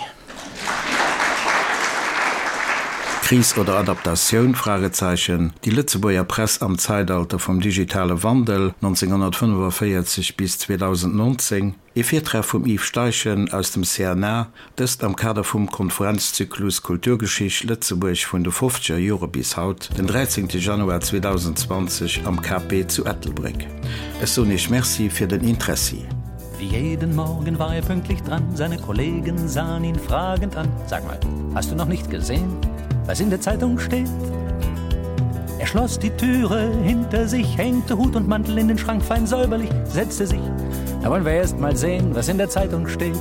Kris oder Adaptatioun? Fragezeichen Déi Lëtzebuerger Press am Zeitalter vum digitale Wandel, nonzénghonnertfënnefavéierzeg bis zweedausendnonzéng E Virtrag vum Yves Steichen aus dem C N A, dëst am Kader vum Konferenzzyklus Kulturgeschicht Lëtzebuerg vun de fofzeger Jore bis haut, den dräizéngte Januar zweedausendenzwanzeg am K P zu Ettelbréck. Ech soen Iech Merci fir den Interessi. Wie jeden Morgen war er pünktlich dran, seine Kollegen sahen ihn fragend an. Sag mal, hast du noch nicht gesehen, was in der Zeitung steht? Er schloss die Türe hinter sich, hängte Hut und Mantel in den Schrank fein säuberlich, setzte sich. Da wollen wir erst mal sehen, was in der Zeitung steht.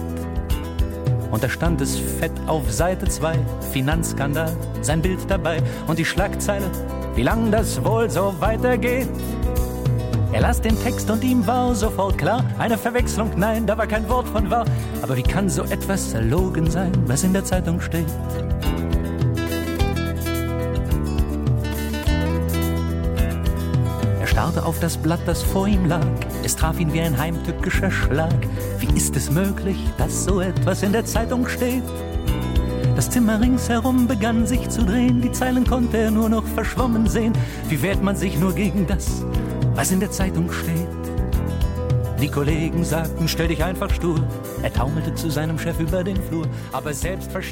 Und da stand es fett auf Seite zwei, Finanzskandal, sein Bild dabei und die Schlagzeile, wie lang das wohl so weitergeht. Er las den Text und ihm war sofort klar, eine Verwechslung, nein, da war kein Wort von wahr. Aber wie kann so etwas erlogen sein, was in der Zeitung steht? Er starrte auf das Blatt, das vor ihm lag. Es traf ihn wie ein heimtückischer Schlag. Wie ist es möglich, dass so etwas in der Zeitung steht? Das Zimmer ringsherum begann sich zu drehen, die Zeilen konnte er nur noch verschwommen sehen. Wie wehrt man sich nur gegen das, was in der Zeitung steht? Die Kollegen sagten, stell dich einfach stur. Er taumelte zu seinem Chef über den Flur, aber selbstverständlich